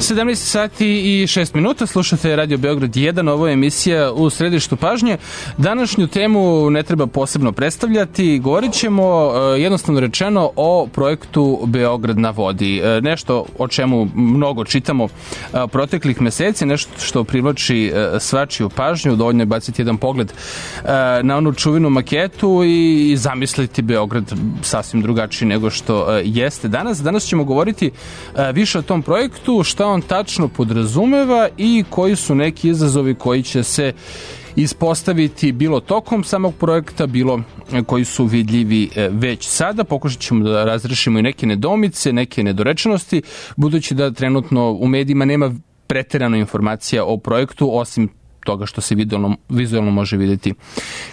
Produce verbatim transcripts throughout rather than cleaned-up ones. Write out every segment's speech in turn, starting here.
sedamnaest sati i šest minuta, slušate Radio Beograd jedan, ovo je emisija U središtu pažnje. Današnju temu ne treba posebno predstavljati, govorit ćemo jednostavno rečeno o projektu Beograd na vodi. Nešto o čemu mnogo čitamo proteklih meseci, nešto što privlači svačiju pažnju, dovoljno je baciti jedan pogled na onu čuvenu maketu i zamisliti Beograd sasvim drugačiji nego što jeste danas. Danas ćemo govoriti više o tom projektu, šta on tačno podrazumeva i koji su neki izazovi koji će se ispostaviti bilo tokom samog projekta, bilo koji su vidljivi već sada. Pokušat ćemo da razrešimo i neke nedoumice, neke nedorečenosti, budući da trenutno u medijima nema preterano informacija o projektu, osim toga što se vizualno, vizualno može vidjeti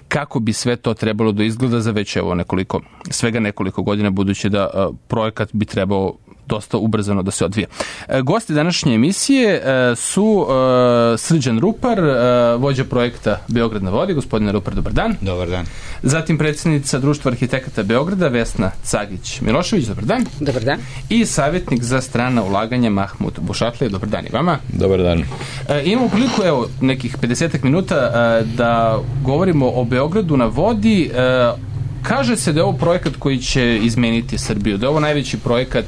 kako bi sve to trebalo da izgleda za već evo nekoliko, svega nekoliko godina, budući da a, projekat bi trebao dosta ubrzano da se odvije. E, gosti današnje emisije e, su e, Srđan Rupar, e, vođa projekta Beograd na vodi. Gospodine Rupar, dobar dan. Dobar dan. Zatim predsjednica Društva arhitekata Beograda, Vesna Cagić-Milošević, dobar dan. Dobar dan. I savjetnik za strana ulaganja Mahmud Bušatlija, dobar dan i vama. Dobar dan. E, imamo priliku, evo, nekih pedesetak minuta e, da govorimo o Beogradu na vodi. E, Kaže se da je ovo projekat koji će izmeniti Srbiju, da je ovo najveći projekat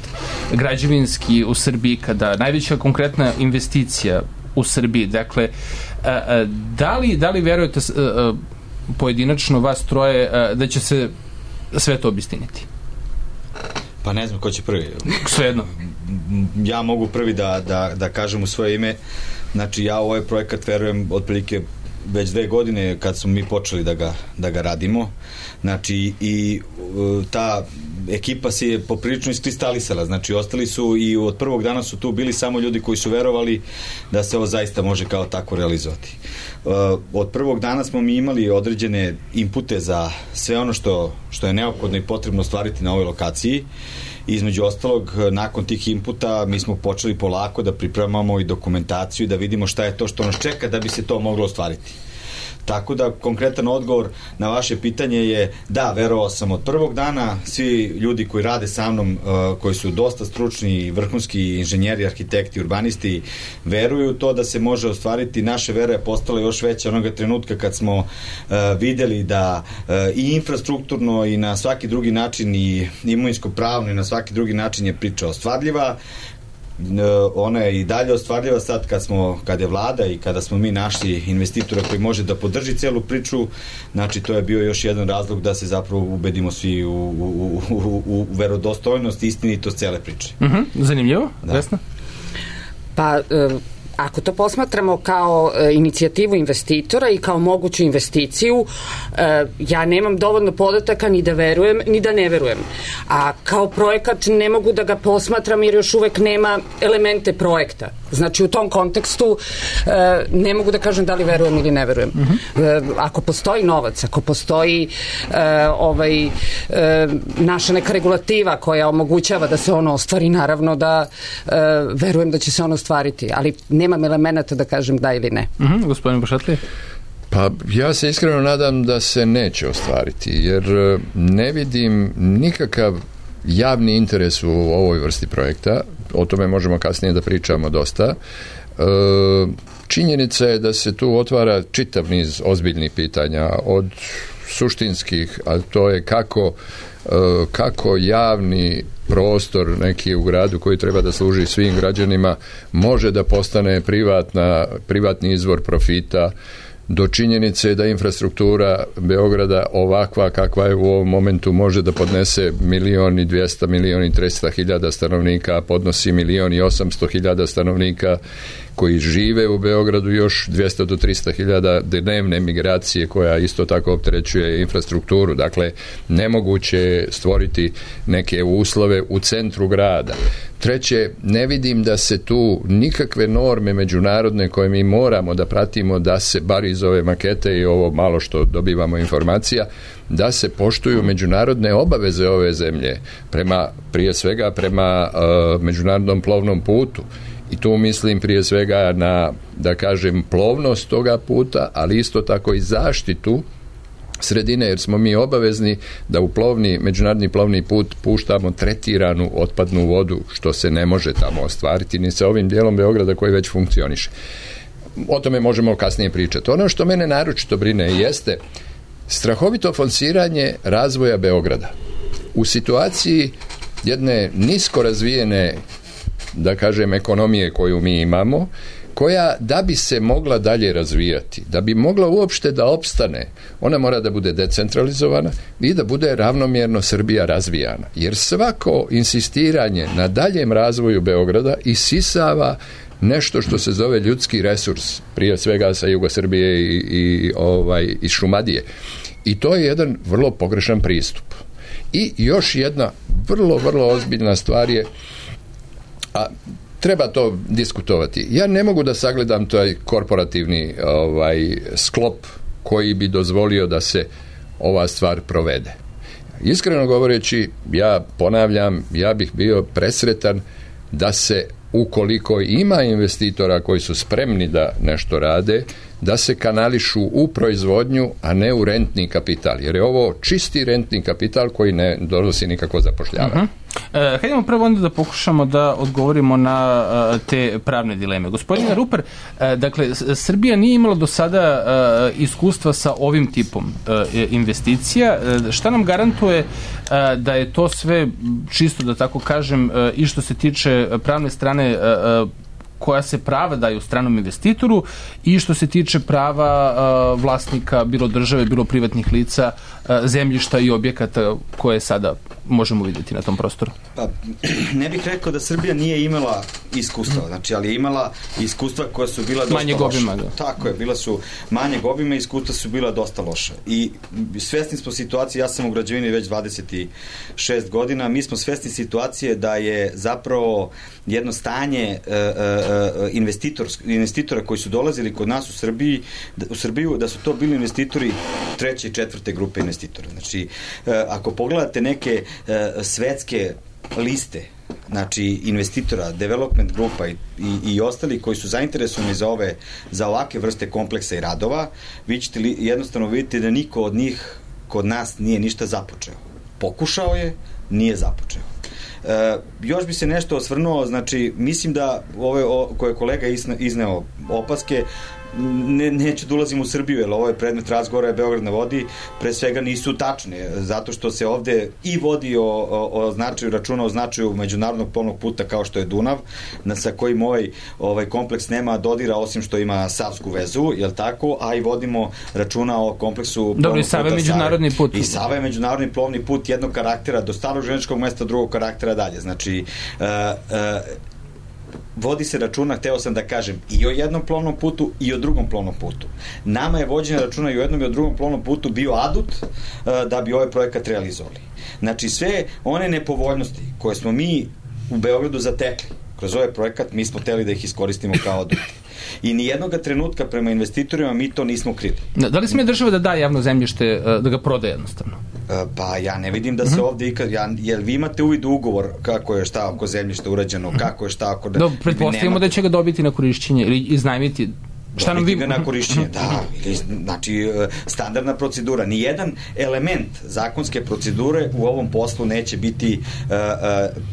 građevinski u Srbiji, kada najveća konkretna investicija u Srbiji. Dakle, da li, da li verujete pojedinačno vas troje da će se sve to obistiniti? Pa ne znam ko će prvi. Svejedno. Ja mogu prvi da, da, da kažem u svoje ime. Znači, ja u ovaj projekat verujem otprilike već dve godine kad smo mi počeli da ga, da ga radimo. Znači, i ta ekipa se je poprilično iskristalisala. Znači, ostali su i od prvog dana su tu bili samo ljudi koji su verovali da se ovo zaista može kao tako realizovati. Od prvog dana smo mi imali određene inpute za sve ono što, što je neophodno i potrebno ostvariti na ovoj lokaciji. Između ostalog, nakon tih inputa mi smo počeli polako da pripremamo i dokumentaciju i da vidimo šta je to što nas čeka da bi se to moglo ostvariti. Tako da, konkretan odgovor na vaše pitanje je da, verovao sam od prvog dana. Svi ljudi koji rade sa mnom, uh, koji su dosta stručni, vrhunski inženjeri, arhitekti, urbanisti, veruju to da se može ostvariti. Naše vera je postala još veća onoga trenutka kad smo uh, videli da uh, i infrastrukturno i na svaki drugi način i imovinsko-pravno i na svaki drugi način je priča ostvarljiva. Ona je i dalje ostvarljiva sad kad smo, kad je vlada i kada smo mi našli investitora koji može da podrži celu priču. Znači, to je bio još jedan razlog da se zapravo ubedimo svi u, u, u, u verodostojnost i istinitost cele priče. Uh-huh. Zanimljivo, da. Vesna? Pa, um... ako to posmatramo kao e, inicijativu investitora i kao moguću investiciju, e, ja nemam dovoljno podataka ni da verujem, ni da ne verujem. A kao projekat ne mogu da ga posmatram jer još uvek nema elemente projekta. Znači, u tom kontekstu e, ne mogu da kažem da li verujem ili ne verujem. Uh-huh. E, ako postoji novac, ako postoji e, ovaj, e, naša neka regulativa koja omogućava da se ono ostvari, naravno da e, verujem da će se ono ostvariti. Ali ne nemam elemenata da kažem da ili ne. Uh-huh. Gospodin Bušatlija? Pa ja se iskreno nadam da se neće ostvariti, jer ne vidim nikakav javni interes u ovoj vrsti projekta. O tome možemo kasnije da pričamo dosta. E, činjenica je da se tu otvara čitav niz ozbiljnih pitanja, od suštinskih, a to je kako, e, kako javni prostor neki u gradu koji treba da služi svim građanima može da postane privatna, privatni izvor profita, do činjenice da infrastruktura Beograda ovakva kakva je u ovom momentu može da podnese milion i dvjesto, milion i trista hiljada stanovnika, podnosi milion i osamsto hiljada stanovnika koji žive u Beogradu, još dvjesto do trista hiljada dnevne migracije koja isto tako opterećuje infrastrukturu. Dakle, nemoguće je stvoriti neke uslove u centru grada. Treće, ne vidim da se tu nikakve norme međunarodne koje mi moramo da pratimo, da se bar iz ove makete i ovo malo što dobivamo informacija, da se poštuju međunarodne obaveze ove zemlje, prema, prije svega prema uh, međunarodnom plovnom putu. I tu mislim prije svega na, da kažem, plovnost toga puta, ali isto tako i zaštitu sredine, jer smo mi obavezni da u plovni, međunarodni plovni put puštamo tretiranu otpadnu vodu, što se ne može tamo ostvariti ni sa ovim dijelom Beograda koji već funkcioniše. O tome možemo kasnije pričati. Ono što mene naročito brine jeste strahovito forsiranje razvoja Beograda. U situaciji jedne nisko razvijene, da kažem, ekonomije koju mi imamo, koja da bi se mogla dalje razvijati, da bi mogla uopšte da opstane, ona mora da bude decentralizovana i da bude ravnomjerno Srbija razvijana. Jer svako insistiranje na daljem razvoju Beograda isisava nešto što se zove ljudski resurs, prije svega sa Jugosrbije i, i ovaj, iz Šumadije. I to je jedan vrlo pogrešan pristup. I još jedna vrlo, vrlo ozbiljna stvar je, a treba to diskutovati. Ja ne mogu da sagledam taj korporativni ovaj, sklop koji bi dozvolio da se ova stvar provede. Iskreno govoreći, ja ponavljam, ja bih bio presretan da se, ukoliko ima investitora koji su spremni da nešto rade, da se kanališu u proizvodnju, a ne u rentni kapital. Jer je ovo čisti rentni kapital koji ne donosi nikako zapošljavanje. Uh-huh. E, hajdemo prvo onda da pokušamo da odgovorimo na uh, te pravne dileme. Gospodine Ruper, uh, dakle, Srbija nije imala do sada uh, iskustva sa ovim tipom uh, investicija. Uh, šta nam garantuje uh, da je to sve čisto, da tako kažem, uh, i što se tiče pravne strane uh, koja se prava daju stranom investitoru i što se tiče prava uh, vlasnika, bilo države, bilo privatnih lica, uh, zemljišta i objekata koje sada možemo vidjeti na tom prostoru? Pa, ne bih rekao da Srbija nije imala iskustva, znači, ali je imala iskustva koja su bila dosta manje obima, loša. Da. Tako je, bila su manje obima i iskustva su bila dosta loša. I svesni smo situacije, ja sam u građevini već dvadeset šest godina, mi smo svesni situacije da je zapravo jedno stanje uh, uh, investitor, investitora koji su dolazili kod nas u Srbiji, u Srbiju, da su to bili investitori treće i četvrte grupe investitora. Znači, uh, ako pogledate neke uh, svetske liste, znači investitora, development grupa i, i, i ostali koji su zainteresovani za ove, za ovake vrste kompleksa i radova, vi ćete li, jednostavno vidjeti da niko od njih kod nas nije ništa započeo. Pokušao je, nije započeo. E, još bi se nešto osvrnuo, znači mislim da ove o, koje je kolega izneo opaske, ne, neću da ulazim u Srbiju, jer ovo je predmet razgovora, Beograd na vodi, pre svega nisu tačne, zato što se ovde i vodi o, o, o značaju, računa o značaju međunarodnog plovnog puta kao što je Dunav, na, sa kojim ovaj, ovaj kompleks nema dodira, osim što ima savsku vezu, jel tako, a i vodimo računa o kompleksu. Dobro, i Sava je međunarodni put. I Sava je međunarodni plovni put jednog karaktera do starog železničkog mesta, drugog karaktera dalje. Znači, uh, uh, vodi se računa, hteo sam da kažem, i o jednom plovnom putu i o drugom plovnom putu. Nama je vođenje računa i o jednom i o drugom plovnom putu bio adut uh, da bi ovaj projekat realizovali. Znači, sve one nepovoljnosti koje smo mi u Beogradu zatekli kroz ovaj projekat, mi smo hteli da ih iskoristimo kao adut. I nijednog trenutka prema investitorima mi to nismo krili. Da li smije država da da javno zemljište, da ga prodaje jednostavno? Pa ja ne vidim da se uh-huh. ovde ikad, ja, jel vi imate uvid u ugovor kako je šta oko zemljišta urađeno, uh-huh. kako je šta oko... Da, pretpostavimo da će ga dobiti na korišćenje ili iznajmiti. Šta nam vi... ga na korišćenje, da. Znači, standardna procedura. Nijedan element zakonske procedure u ovom poslu neće biti uh, uh,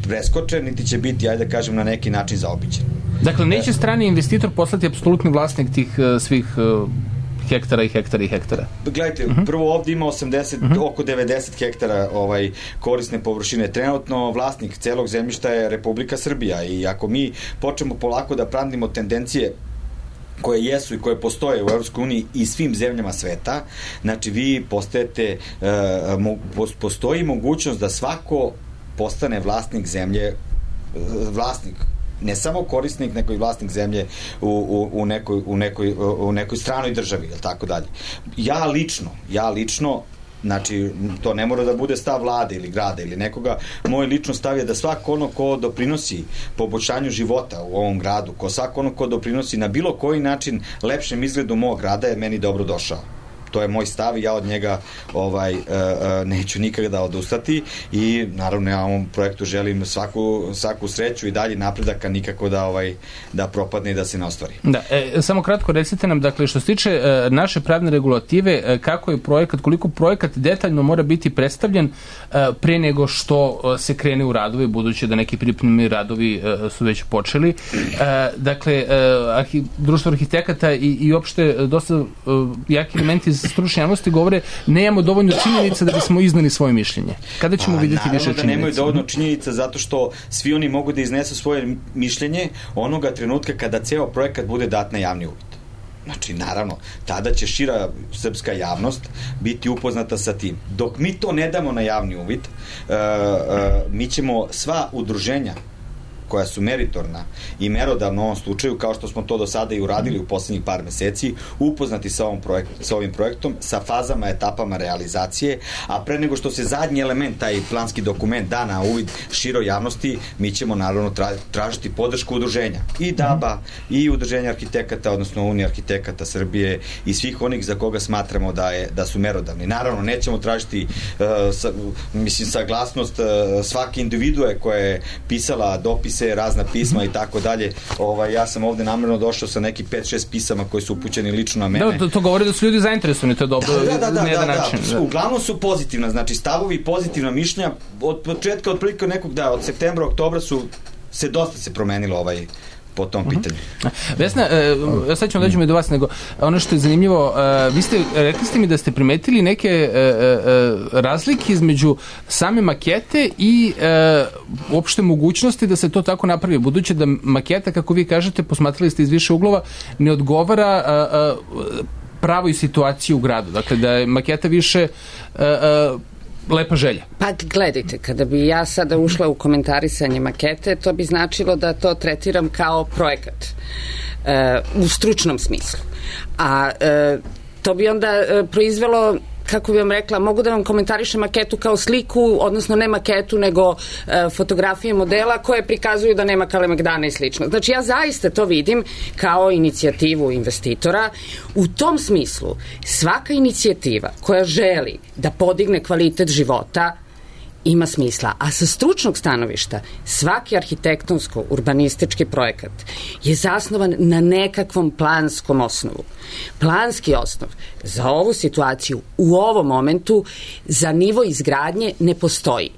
preskočen, niti će biti, ajde da kažem, na neki način zaobiđen. Dakle, neće strani investitor poslati apsolutni vlasnik tih uh, svih uh, hektara i hektara i hektara. Gledajte, uh-huh. prvo ovdje ima osamdeset, uh-huh. oko devedeset hektara ovaj, korisne površine. Trenutno vlasnik celog zemljišta je Republika Srbija i ako mi počnemo polako da pratimo tendencije koje jesu i koje postoje u Evropskoj uniji i svim zemljama sveta, znači vi postajete, uh, mo, postoji mogućnost da svako postane vlasnik zemlje, uh, vlasnik ne samo korisnik, nego i vlasnik zemlje u, u, u, nekoj, u, nekoj, u nekoj stranoj državi, ili tako dalje. Ja lično, ja lično, znači, to ne mora da bude stav vlade ili grada ili nekoga, moj lično stav je da svako ono ko doprinosi poboljšanju života u ovom gradu, ko svako ono ko doprinosi na bilo koji način lepšem izgledu mog grada je meni dobro došao. to je moj stav i ja od njega ovaj, uh, uh, neću nikada odustati i naravno ja ovom projektu želim svaku, svaku sreću i dalje napredaka, nikako da, ovaj, da propadne i da se ne ostvari. Da, e, samo kratko recite nam, dakle, što se tiče e, naše pravne regulative, e, kako je projekat, koliko projekat detaljno mora biti predstavljen e, pre nego što e, se krene u radovi, budući da neki pripremni radovi e, su već počeli. E, dakle, e, arhi, društvo arhitekata i, i opšte dosta e, jaki elementi iz stručne javnosti govore nemamo dovoljno činjenica da bismo iznali svoje mišljenje. Kada ćemo A, vidjeti više činjenica? Naravno da nemaju dovoljno činjenica zato što svi oni mogu da iznesu svoje mišljenje onoga trenutka kada ceo projekat bude dat na javni uvid. Znači, naravno, tada će šira srpska javnost biti upoznata sa tim. Dok mi to ne damo na javni uvid, uh, uh, mi ćemo sva udruženja koja su meritorna i merodavna u ovom slučaju, kao što smo to do sada i uradili u poslednjih par meseci, upoznati sa, ovom projekt, sa ovim projektom, sa fazama, etapama realizacije, a pre nego što se zadnji element, taj planski dokument da na uvid široj javnosti, mi ćemo naravno tra, tražiti podršku udruženja. I D A B A, i udruženja arhitekata, odnosno Unija arhitekata Srbije i svih onih za koga smatramo da, je, da su merodavni. Naravno, nećemo tražiti uh, sa, mislim, saglasnost uh, svake individue koja je pisala dopis se razna pisma i tako dalje. Ovaj, ja sam ovde namerno došao sa neki pet šest pisama koji su upućeni lično na mene. Da, to, to govori da su ljudi zainteresovani, to je dobro. Da, da, da, na jedan da, način. Da. Uglavnom su pozitivna, znači stavovi i pozitivna mišljenja od početka, od prilike nekog, da, od septembra, oktobra su se dosta se promenilo ovaj po tom pitanju. Uh-huh. Vesna, e, sad ćemo dođemo i do vas, nego ono što je zanimljivo, e, vi ste, rekli ste mi da ste primetili neke e, e, razlike između same makete i e, uopšte mogućnosti da se to tako napravi, budući da maketa, kako vi kažete, posmatrali ste iz više uglova, ne odgovara a, a, pravoj situaciji u gradu. Dakle, da je maketa više a, a, lepa želja. Pa gledajte, kada bi ja sada ušla u komentarisanje makete, to bi značilo da to tretiram kao projekat e, u stručnom smislu. A e, to bi onda e, proizvelo, kako bi vam rekla, mogu da vam komentarišem maketu kao sliku, odnosno ne maketu, nego e, fotografije modela koje prikazuju da nema Kalemegdana i slično. Znači, ja zaista to vidim kao inicijativu investitora. U tom smislu, svaka inicijativa koja želi da podigne kvalitet života ima smisla. A sa stručnog stanovišta, svaki arhitektonsko-urbanistički projekat je zasnovan na nekakvom planskom osnovu. Planski osnov za ovu situaciju u ovom momentu za nivo izgradnje ne postoji.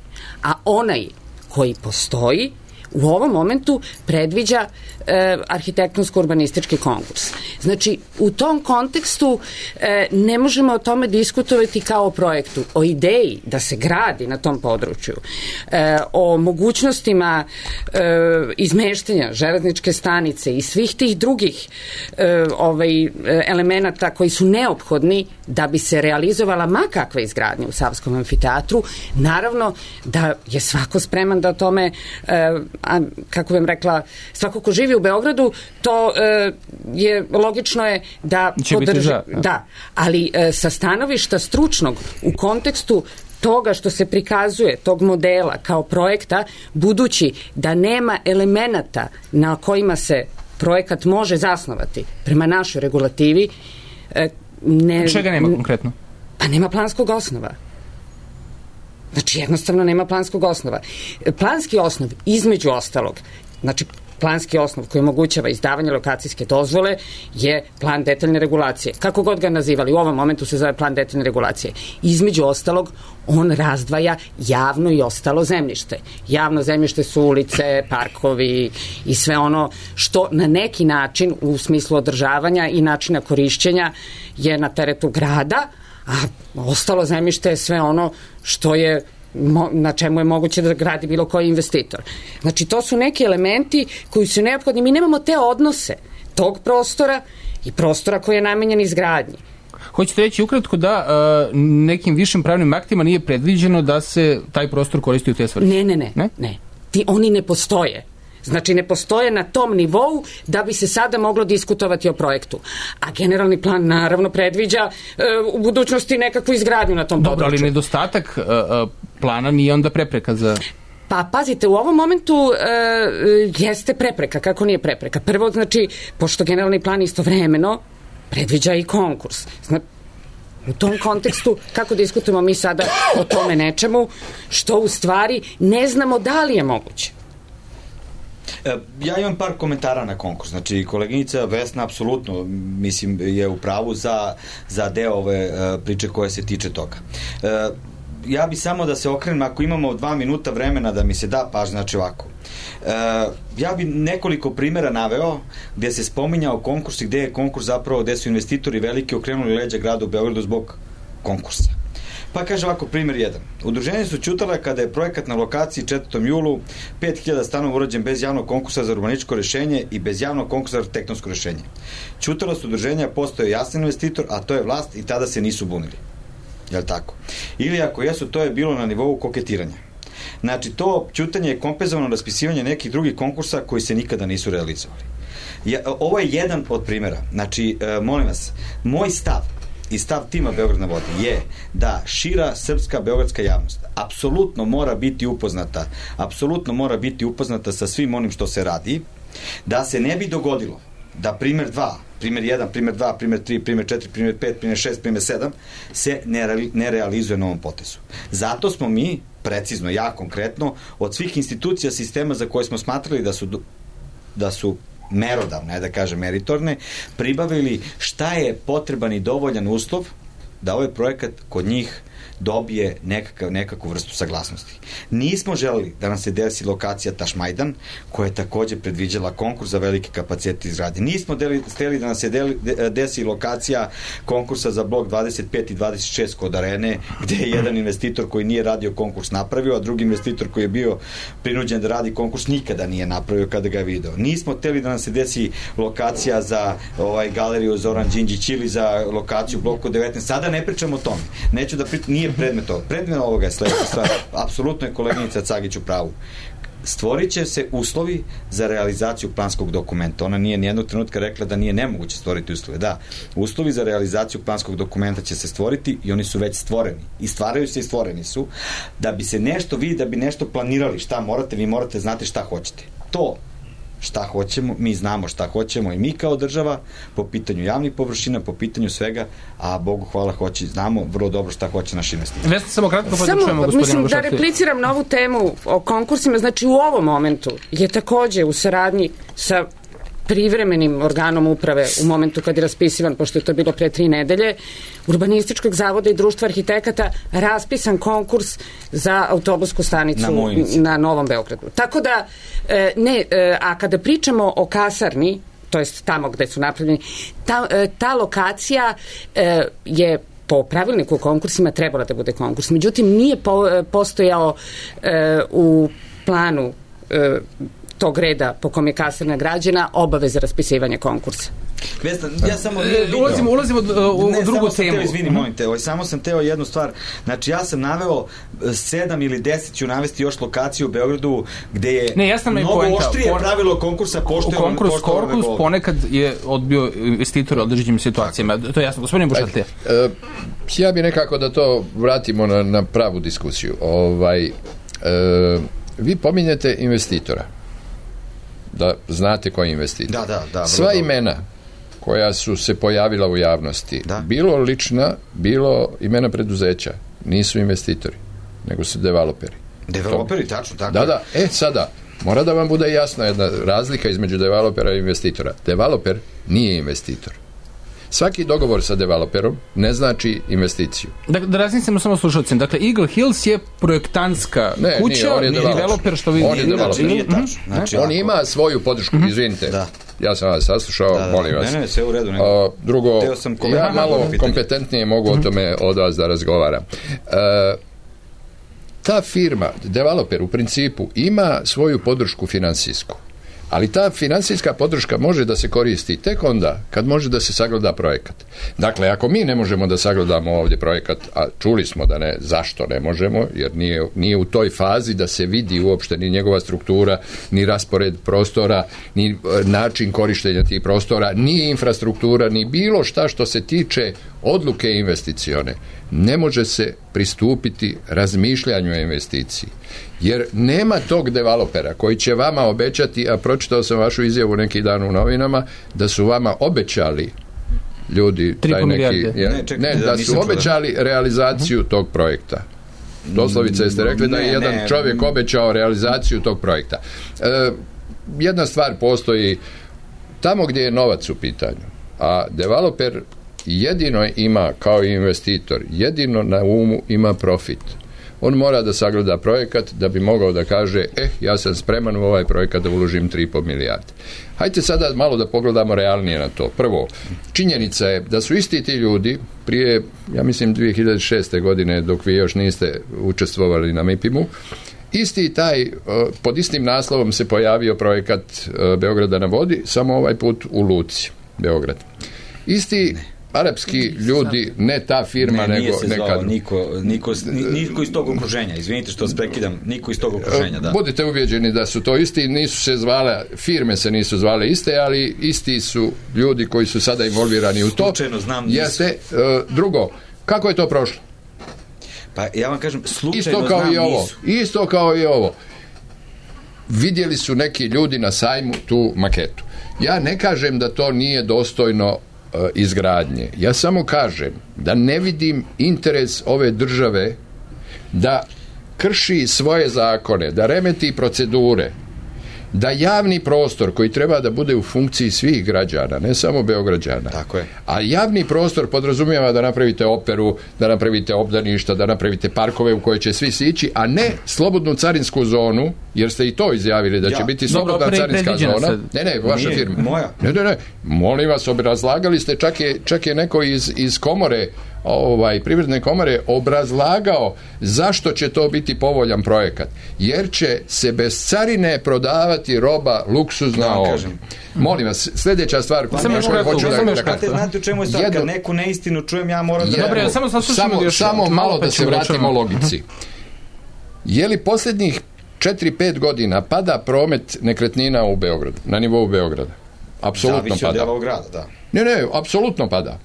A onaj koji postoji u ovom momentu predviđa e, arhitektonsko-urbanistički konkurs. Znači, u tom kontekstu e, ne možemo o tome diskutovati kao o projektu, o ideji da se gradi na tom području, e, o mogućnostima e, izmeštanja železničke stanice i svih tih drugih e, ovaj, elemenata koji su neophodni da bi se realizovala makakva izgradnja u Savskom amfiteatru. Naravno da je svako spreman da o tome e, a, kako bih rekla, svako ko živi u Beogradu, to e, je logično je da će podrži, za, da. da, ali e, sa stanovišta stručnog u kontekstu toga što se prikazuje, tog modela kao projekta, budući da nema elemenata na kojima se projekat može zasnovati prema našoj regulativi, e, ne, čega nema konkretno? Pa nema planskog osnova. Znači, jednostavno nema planskog osnova. Planski osnov, između ostalog, znači, planski osnov koji omogućava izdavanje lokacijske dozvole je plan detaljne regulacije. Kako god ga nazivali, u ovom momentu se zove plan detaljne regulacije. Između ostalog, on razdvaja javno i ostalo zemljište. Javno zemljište su ulice, parkovi i sve ono što na neki način u smislu održavanja i načina korišćenja je na teretu grada, a ostalo zemljište je sve ono što je na čemu je moguće da gradi bilo koji investitor. Znači, to su neki elementi koji su neophodni. Mi nemamo te odnose tog prostora i prostora koji je namenjen izgradnji. Hoćete reći ukratko da uh, nekim višim pravnim aktima nije predviđeno da se taj prostor koristi u te svrhe? Ne, ne, ne. ne? ne. Ti, oni ne postoje. Znači, ne postoje na tom nivou da bi se sada moglo diskutovati o projektu. A generalni plan naravno predviđa e, u budućnosti nekakvu izgradnju na tom Dobro, području. Ali nedostatak e, plana nije onda prepreka za... Pa, pazite, u ovom momentu e, jeste prepreka. Kako nije prepreka? Prvo, znači, pošto generalni plan istovremeno predviđa i konkurs. Znači, U tom kontekstu, kako diskutujemo mi sada o tome nečemu, što u stvari ne znamo da li je moguće? Ja imam par komentara na konkurs. Znači, koleginica Vesna apsolutno, mislim, je u pravu za, za deo ove priče koje se tiče toga. Ja bi samo da se okrenem, ako imamo dva minuta vremena da mi se da pažnja, znači ovako. Ja bi nekoliko primjera naveo gde se spominjao konkurs i gde je konkurs zapravo, gde su investitori veliki okrenuli leđa gradu u Beogradu zbog konkursa. Pa kaže ovako, primjer jedan. Udruženje su ćutale kada je projekat na lokaciji četvrtom julu pet hiljada stanova urađen bez javnog konkursa za urbanističko rešenje i bez javnog konkursa za arhitektonsko rešenje. Ćutalo su udruženja, postoje jasan investitor, a to je vlast i tada se nisu bunili. Jel' tako? Ili ako jesu, to je bilo na nivou koketiranja. Znači, to ćutanje je kompenzovano raspisivanje nekih drugih konkursa koji se nikada nisu realizovali. Ja, ovo je jedan od primjera. Znači, e, molim vas, moj stav i stav tima Beograd na vodi je da šira srpska beogradska javnost apsolutno mora biti upoznata, apsolutno mora biti upoznata sa svim onim što se radi, da se ne bi dogodilo da primjer dva, primjer jedan, primjer dva, primjer tri, primjer četiri, primjer pet, primjer šest, primjer sedam se ne, re, ne realizuje na ovom potezu. Zato smo mi, precizno, ja konkretno, od svih institucija sistema za koje smo smatrali da su, da su merodavne, da kažem meritorne, pribavili šta je potreban i dovoljan uslov da ovaj projekat kod njih dobije nekakav, nekakvu vrstu saglasnosti. Nismo želeli da nam se desi lokacija Tašmajdan, koja je također predviđala konkurs za velike kapacitete izgradnje. Nismo hteli da nam se deli, desi lokacija konkursa za blok dvadeset pet i dvadeset šest kod Arene, gde je jedan investitor koji nije radio konkurs napravio, a drugi investitor koji je bio prinuđen da radi konkurs nikada nije napravio kada ga je video. Nismo hteli da nam se desi lokacija za ovaj, galeriju Zoran Đinđić ili za lokaciju bloku devetnaest. Sada ne pričamo o tome. Neću da pričam, nije predmet ovoga. Predmet ovoga je sledeća stvar. Apsolutno je koleginica Cagić u pravu. Stvorit će se uslovi za realizaciju planskog dokumenta. Ona nije nijednog trenutka rekla da nije nemoguće stvoriti uslove. Da, uslovi za realizaciju planskog dokumenta će se stvoriti i oni su već stvoreni. I stvaraju se i stvoreni su. Da bi se nešto vi, da bi nešto planirali šta morate, vi morate znati šta hoćete. To šta hoćemo, mi znamo šta hoćemo i mi kao država po pitanju javnih površina, po pitanju svega, a Bogu hvala hoće, znamo vrlo dobro šta hoće naš investitor. Vesna, samo kratko pa samo, čujemo gospodina mislim Bušati. Da repliciram na ovu temu o konkursima, znači u ovom momentu je takođe u saradnji sa privremenim organom uprave u momentu kad je raspisivan, pošto je to bilo pre tri nedelje, Urbanističkog zavoda i društva arhitekata raspisan konkurs za autobusku stanicu na, na Novom Beogradu. Tako da, ne, a kada pričamo o kasarni, to jest tamo gde su napravljeni, ta, ta lokacija je po pravilniku o konkursima trebala da bude konkurs. Međutim, nije po, postojao u planu tog reda po kom je kasarna građena obaveza raspisivanja konkursa. Vesna, ja samo ulazimo, ulazimo u ne, drugu temu. temu. Izvini, molim te, ovaj, samo sam teo jednu stvar. Znači, ja sam naveo sedam ili deset, ću navesti još lokaciju u Beogradu gde je ne, ja sam mnogo poenta, oštrije por... pravilo konkursa poštovano. Konkurs, konkurs ponekad je odbio investitor u određenim situacijama. To je jasno. Gospodin Bušatlija. Uh, ja bih nekako da to vratimo na, na pravu diskusiju. Ovaj, uh, vi pominjete investitora. Da znate ko je investitor. Da, da, da, sva dobro. Imena koja su se pojavila u javnosti, da. Bilo lična, bilo imena preduzeća, nisu investitori, nego su developeri. Developeri, tačno, tako. Da, da, e, sada, mora da vam bude jasna jedna razlika između developera i investitora. Developer nije investitor. Svaki dogovor sa developerom ne znači investiciju. Da, da razmislimo samo slušalcima. Dakle, Eagle Hills je projektantska ne, kuća, nije, on je developer. developer što vi... On je developer. Nije tačno. Znači, on ima svoju podršku, mm-hmm. izvinite. Da. Ja sam vas saslušao, da, da. molim vas. Ne, ne, sve u redu. Ne. Uh, drugo, ja malo kompetentnije mogu o tome od vas da razgovaram. Uh, ta firma, developer u principu, ima svoju podršku finansijsku. Ali ta finansijska podrška može da se koristi tek onda kad može da se sagleda projekat. Dakle, ako mi ne možemo da sagledamo ovdje projekat, a čuli smo da ne, zašto ne možemo, jer nije, nije u toj fazi da se vidi uopšte ni njegova struktura, ni raspored prostora, ni način korištenja tih prostora, ni infrastruktura, ni bilo šta što se tiče odluke investicione. Ne može se pristupiti razmišljanju o investiciji. Jer nema tog developera koji će vama obećati, a pročitao sam vašu izjavu neki dan u novinama, da su vama obećali ljudi taj neki, ja, ne, čekaj, ne, da, da su obećali čudan. realizaciju uh-huh. tog projekta. Doslovice jeste rekli ne, da je jedan ne, čovjek obećao realizaciju tog projekta. E, jedna stvar postoji tamo gdje je novac u pitanju, a developer jedino ima kao investitor, jedino na umu ima profit. On mora da sagleda projekat da bi mogao da kaže, eh, ja sam spreman u ovaj projekat da uložim tri i pol milijarde. Hajde sada malo da pogledamo realnije na to. Prvo, činjenica je da su isti ti ljudi prije, ja mislim, dvije hiljade šeste godine, dok vi još niste učestvovali na M I P I M-u, isti taj, pod istim naslovom se pojavio projekat Beograda na vodi, samo ovaj put u Luci, Beograd. Isti arapski ljudi, ne ta firma, ne, nego nekad. Niko, niko, niko iz tog okruženja, izvinite što vas prekidam, niko iz tog okruženja, da. Budite uvjeđeni da su to isti, nisu se zvale, firme se nisu zvale iste, ali isti su ljudi koji su sada involvirani u to. Slučajno znam, nisu. Jeste, uh, drugo, kako je to prošlo? Pa ja vam kažem, slučajno isto kao znam, i ovo, nisu. Isto kao i ovo. Vidjeli su neki ljudi na sajmu tu maketu. Ja ne kažem da to nije dostojno izgradnje. Ja samo kažem da ne vidim interes ove države da krši svoje zakone, da remeti procedure, da javni prostor koji treba da bude u funkciji svih građana, ne samo Beograđana. Tako je. A javni prostor podrazumijeva da napravite operu, da napravite obdaništa, da napravite parkove u koje će svi sići, a ne slobodnu carinsku zonu, jer ste i to izjavili da će ja. biti slobodna Dobro, carinska zona. Sad. Ne, ne, vaša Nije, firma. Moja. Ne, ne, ne. Molim vas, obrazlagali ste, čak je, čak je neko iz, iz komore, ovaj, privredne komore obrazlagao zašto će to biti povoljan projekat. Jer će se bez carine prodavati roba luksuzna da, ovdje. Kažem. Molim vas, sljedeća stvar pa koju hoću da, da, da kažem. Znate u čemu je stvar, Jedno, kad neku neistinu čujem, ja moram da... Dobre, samo, samo, samo malo da se vratimo logici. Je li posljednjih četiri pet godina pada promet nekretnina u Beogradu, na nivou Beograda? Apsolutno pada. Zavisi od dela grada, da. Ne, ne, apsolutno pada.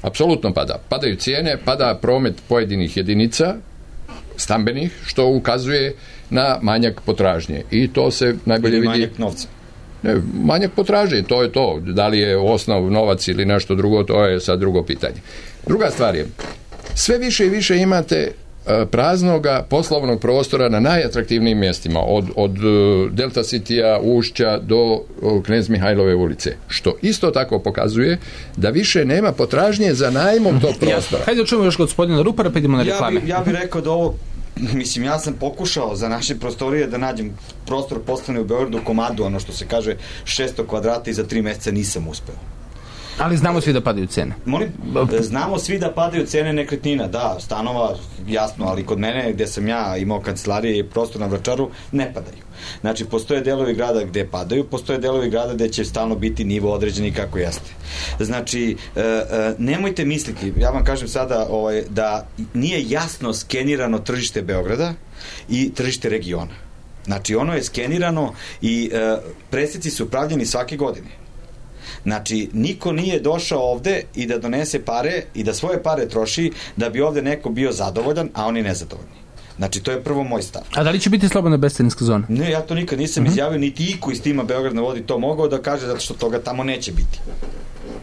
Apsolutno pada. Padaju cijene, pada promet pojedinih jedinica stambenih, što ukazuje na manjak potražnje. I to se najbolje ili vidi... manjak novca. Ne, manjak potražnje, to je to. Da li je osnov novac ili nešto drugo, to je sad drugo pitanje. Druga stvar je, sve više i više imate praznoga poslovnog prostora na najatraktivnijim mjestima, od, od Delta Citya, Ušća do Knez Mihajlove ulice, što isto tako pokazuje da više nema potražnje za najmom tog prostora. Hajde čujemo još gospodina Rupara, pa idemo na reklame. Ja bih ja bi rekao da ovo, mislim, ja sam pokušao za naše prostorije da nađem prostor poslovni u Beogradu, komadu, ono što se kaže šesto kvadrata, i za tri mjeseca nisam uspeo. Ali znamo svi da padaju cene. Molim, znamo svi da padaju cene nekretnina, da, stanova, jasno, ali kod mene, gdje sam ja imao kancelarije i prostor na Vračaru, ne padaju. Znači, postoje delovi grada gdje padaju, postoje delovi grada gdje će stalno biti nivo određeni kako jeste. Znači, e, e, nemojte misliti, ja vam kažem sada, ovaj, da nije jasno skenirano tržište Beograda i tržište regiona. Znači, ono je skenirano i e, presjeci su pravljeni svake godine. Znači, niko nije došao ovde i da donese pare i da svoje pare troši da bi ovde neko bio zadovoljan, a oni nezadovoljni. Znači, to je prvo moj stav. A da li će biti slobodna bescarinska zona? Ne, ja to nikad nisam uh-huh. izjavio, niti iko iz tima Beograd na vodi to mogao da kaže, zato što toga tamo neće biti.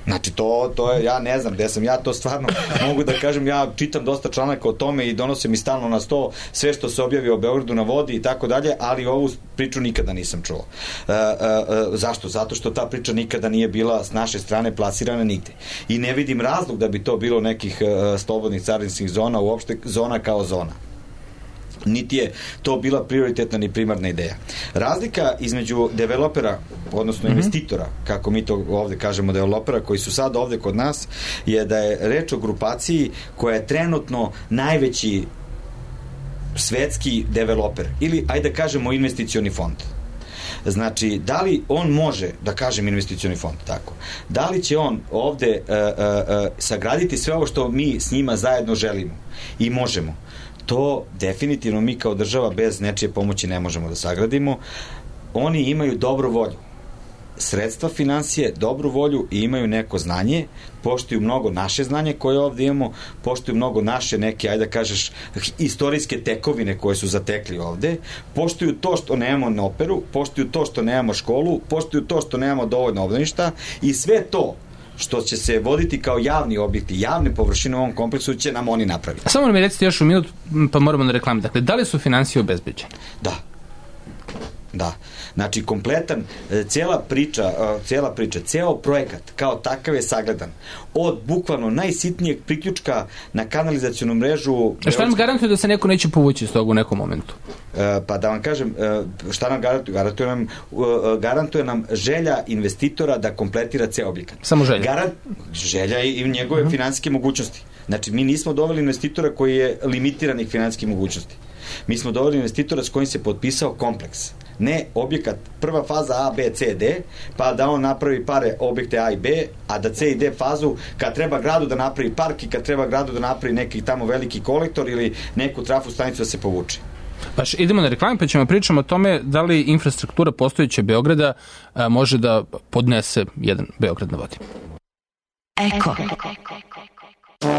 Znači, to, to je, ja ne znam gde sam, ja to stvarno mogu da kažem, ja čitam dosta članaka o tome i donosim mi stalno na sto sve što se objavi o Beogradu na vodi i tako dalje, ali ovu priču nikada nisam čuo. E, e, e, zašto? Zato što ta priča nikada nije bila s naše strane plasirana nigde. I ne vidim razlog da bi to bilo nekih e, slobodnih carinskih zona, uopšte zona kao zona. Niti je to bila prioritetna ni primarna ideja. Razlika između developera, odnosno investitora, kako mi to ovde kažemo, developera koji su sad ovde kod nas, je da je reč o grupaciji koja je trenutno najveći svetski developer, ili ajde da kažemo investicioni fond. Znači, da li on može, da kažem investicioni fond, tako, da li će on ovde uh, uh, uh, sagraditi sve ovo što mi s njima zajedno želimo i možemo? To definitivno mi kao država bez nečije pomoći ne možemo da sagradimo. Oni imaju dobru volju, sredstva, finansije, dobru volju i imaju neko znanje, poštuju mnogo naše znanje koje ovdje imamo, poštuju mnogo naše neke, ajde da kažeš, istorijske tekovine koje su zatekli ovdje, poštuju to što nemamo na operu, poštuju to što nemamo školu, poštuju to što nemamo dovoljno obdaništa i sve to što će se voditi kao javni objekti, javne površine u ovom kompleksu će nam oni napraviti. Samo mi recite još u minut, pa moramo na reklami. Dakle, da li su financije obezbeđene? Da. Da. Znači, kompletan, cijela priča, cijela priča, ceo projekat kao takav je sagledan. Od bukvalno najsitnijeg priključka na kanalizacionu mrežu... A šta nam garantuje da se neko neće povući iz toga u nekom momentu? Pa da vam kažem, šta nam garantuje? Garantuje nam, garantuje nam želja investitora da kompletira ceo objekat. Samo želja? Garant, želja i njegove uh-huh. finansijske mogućnosti. Znači, mi nismo doveli investitora koji je limitiranih finansijskih mogućnosti. Mi smo doveli investitora s kojim se potpisao kompleks. Ne objekat, prva faza A, B, C, D, pa da on napravi pare objekte A i B, a da C i D fazu, kad treba gradu da napravi park i kad treba gradu da napravi neki tamo veliki kolektor ili neku trafu stanicu da se povuče. Baš, idemo na reklamu pa ćemo pričamo o tome da li infrastruktura postojeće Beograda a, može da podnese jedan Beograd na vodi. Eko.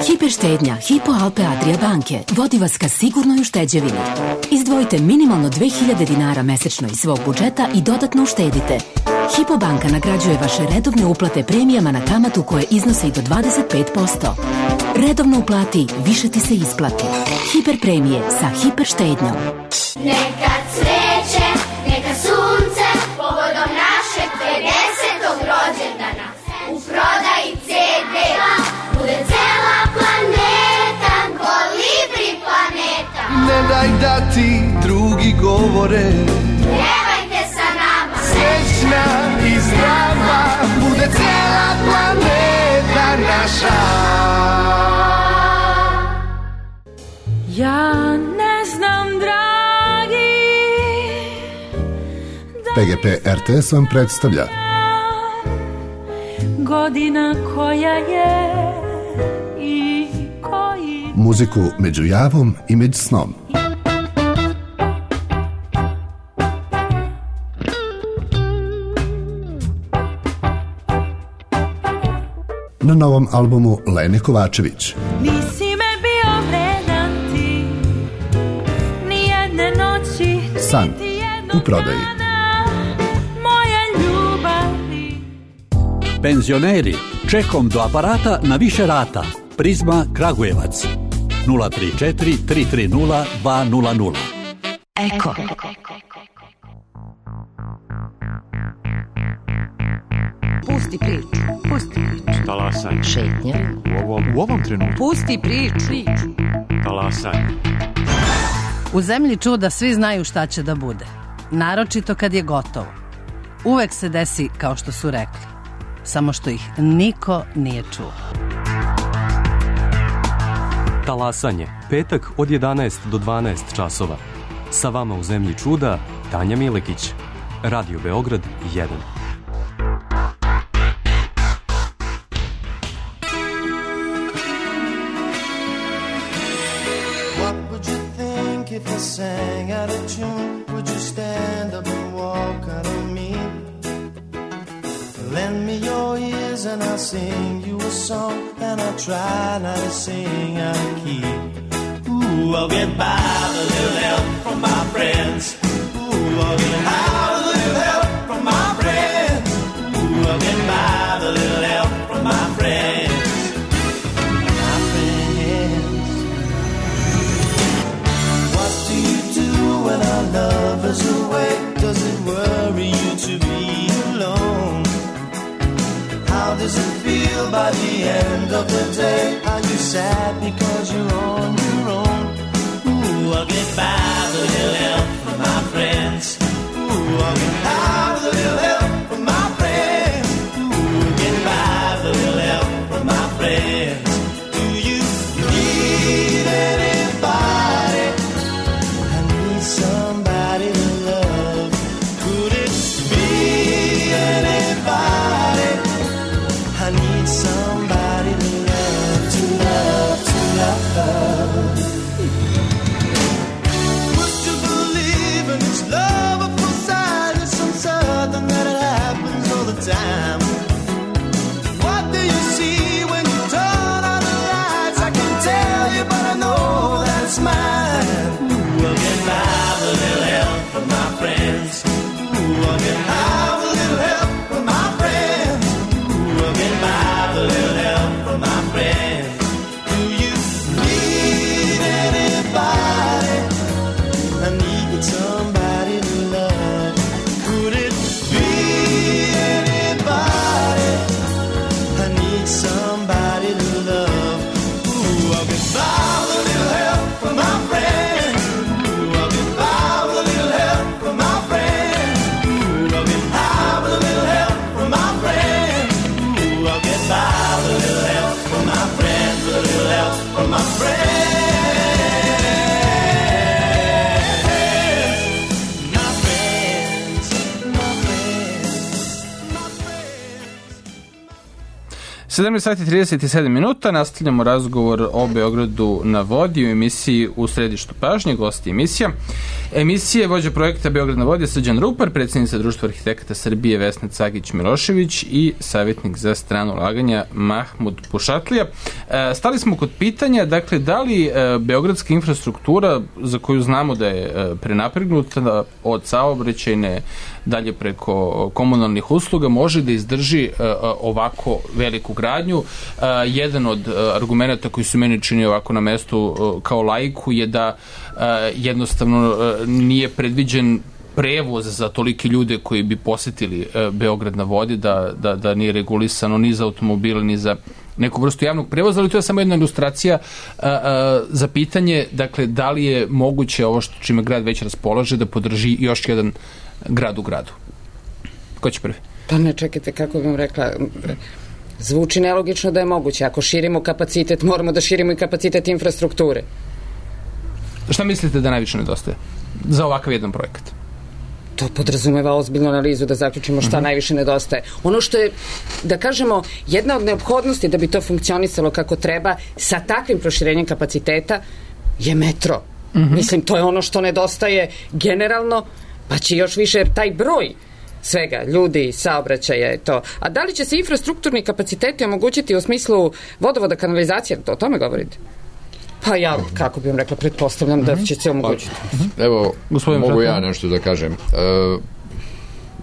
Hiperštednja Hypo Alpe Adria banke vodi vas ka sigurnoj ušteđevini. Izdvojite minimalno dve hiljade dinara mesečno iz svog budžeta i dodatno uštedite. Hypo banka nagrađuje vaše redovne uplate premijama na kamatu koje iznose i do dvadeset pet posto. Redovno uplati, više ti se isplati. Hiper premije sa hiperštednjom. Neka cveće, neka sunce, povodom našeg pedesetog rođendana. U prodaji ce de bude cela planeta, Kolibri planeta. Ne daj da ti drugi govore, pjevajte sa nama, srećna i zdrava, bude cela planeta naša. Ja ne znam, dragi, P G P R T S vam predstavlja godina koja je i koji... muziku među javom i među snom. Na novom albumu Lene Kovačević. Nisi me bio vredan ti, ni jedne noći, San u prodaji. Penzioneri, čekom do aparata na više rata. Prizma Kragujevac. nula tri četiri tri tri nula dva nula nula. Eko. Pusti priču. Pusti priču. Talasanje. Šetnja. U ovom, u ovom trenutku. Pusti priču. Talasanje. U zemlji čuda svi znaju šta će da bude. Naročito kad je gotovo. Uvek se desi kao što su rekli. Samo što ih niko nije čuo. Talasanje. Petak od jedanaest do dvanaest časova. Sa vama u zemlji čuda Tanja Milekić. Radio Beograd jedan. What would you think if I sang out of tune? Would you stand up and walk out of me? Lend me your ears and I'll sing you a song, and I'll try not to sing out of key. Ooh, I'll get by with a little help from my friends. Ooh, I'll get by with a little help from my friends. Ooh, I'll get by with a little help from my friends. My friends. What do you do when our love is away? Does it worry you to be alone? How does it feel by the end of the day? Are you sad because you're on your own? Ooh, I'll get by with a little help from my friends. Ooh, I'll get by with a little help from my friends. Ooh, get by with a little help from my friends. Do you need anybody? I need somebody to love. Could it be anybody? I need somebody to love, to love, to love. Would you believe in this love at first sight? Sometimes sedamnaest sati i trideset sedam minuta, nastavljamo razgovor o Beogradu na vodi u emisiji U središtu pažnje, gosti emisija. Emisije vođa projekta Beograd na vodi je Srđan Rupar, predsjednica Društva arhitekata Srbije Vesna Cagić-Milošević i savjetnik za strano ulaganja Mahmud Pušatlija. E, stali smo kod pitanja, dakle, da li e, beogradska infrastruktura, za koju znamo da je e, prenapregnuta od saobraćajne dalje preko komunalnih usluga, može da izdrži uh, ovako veliku gradnju. Uh, jedan od uh, argumenta koji su meni čini ovako na mestu uh, kao laiku je da uh, jednostavno uh, nije predviđen prevoz za toliki ljude koji bi posetili uh, Beograd na vodi, da, da, da nije regulisano ni za automobile, ni za neku vrstu javnog prevoza, ali to je samo jedna ilustracija uh, uh, za pitanje, dakle, da li je moguće ovo što čime grad već raspolaže da podrži još jedan grad u gradu. Ko će prvi? Pa ne, čekajte, kako bih vam rekla, zvuči nelogično da je moguće. Ako širimo kapacitet, moramo da širimo i kapacitet infrastrukture. Šta mislite da najviše nedostaje za ovakav jedan projekat? To podrazumeva ozbiljnu analizu da zaključimo šta uh-huh. najviše nedostaje. Ono što je, da kažemo, jedna od neophodnosti da bi to funkcionisalo kako treba sa takvim proširenjem kapaciteta je metro. Uh-huh. Mislim, to je ono što nedostaje generalno, pa će još više taj broj svega, ljudi, saobraćaja je to. A da li će se infrastrukturni kapaciteti omogućiti u smislu vodovoda, kanalizacije? To o tome govorite? Pa ja, kako bih vam rekla, pretpostavljam da će se omogućiti. Evo, Gospodin mogu ja nešto da kažem. E,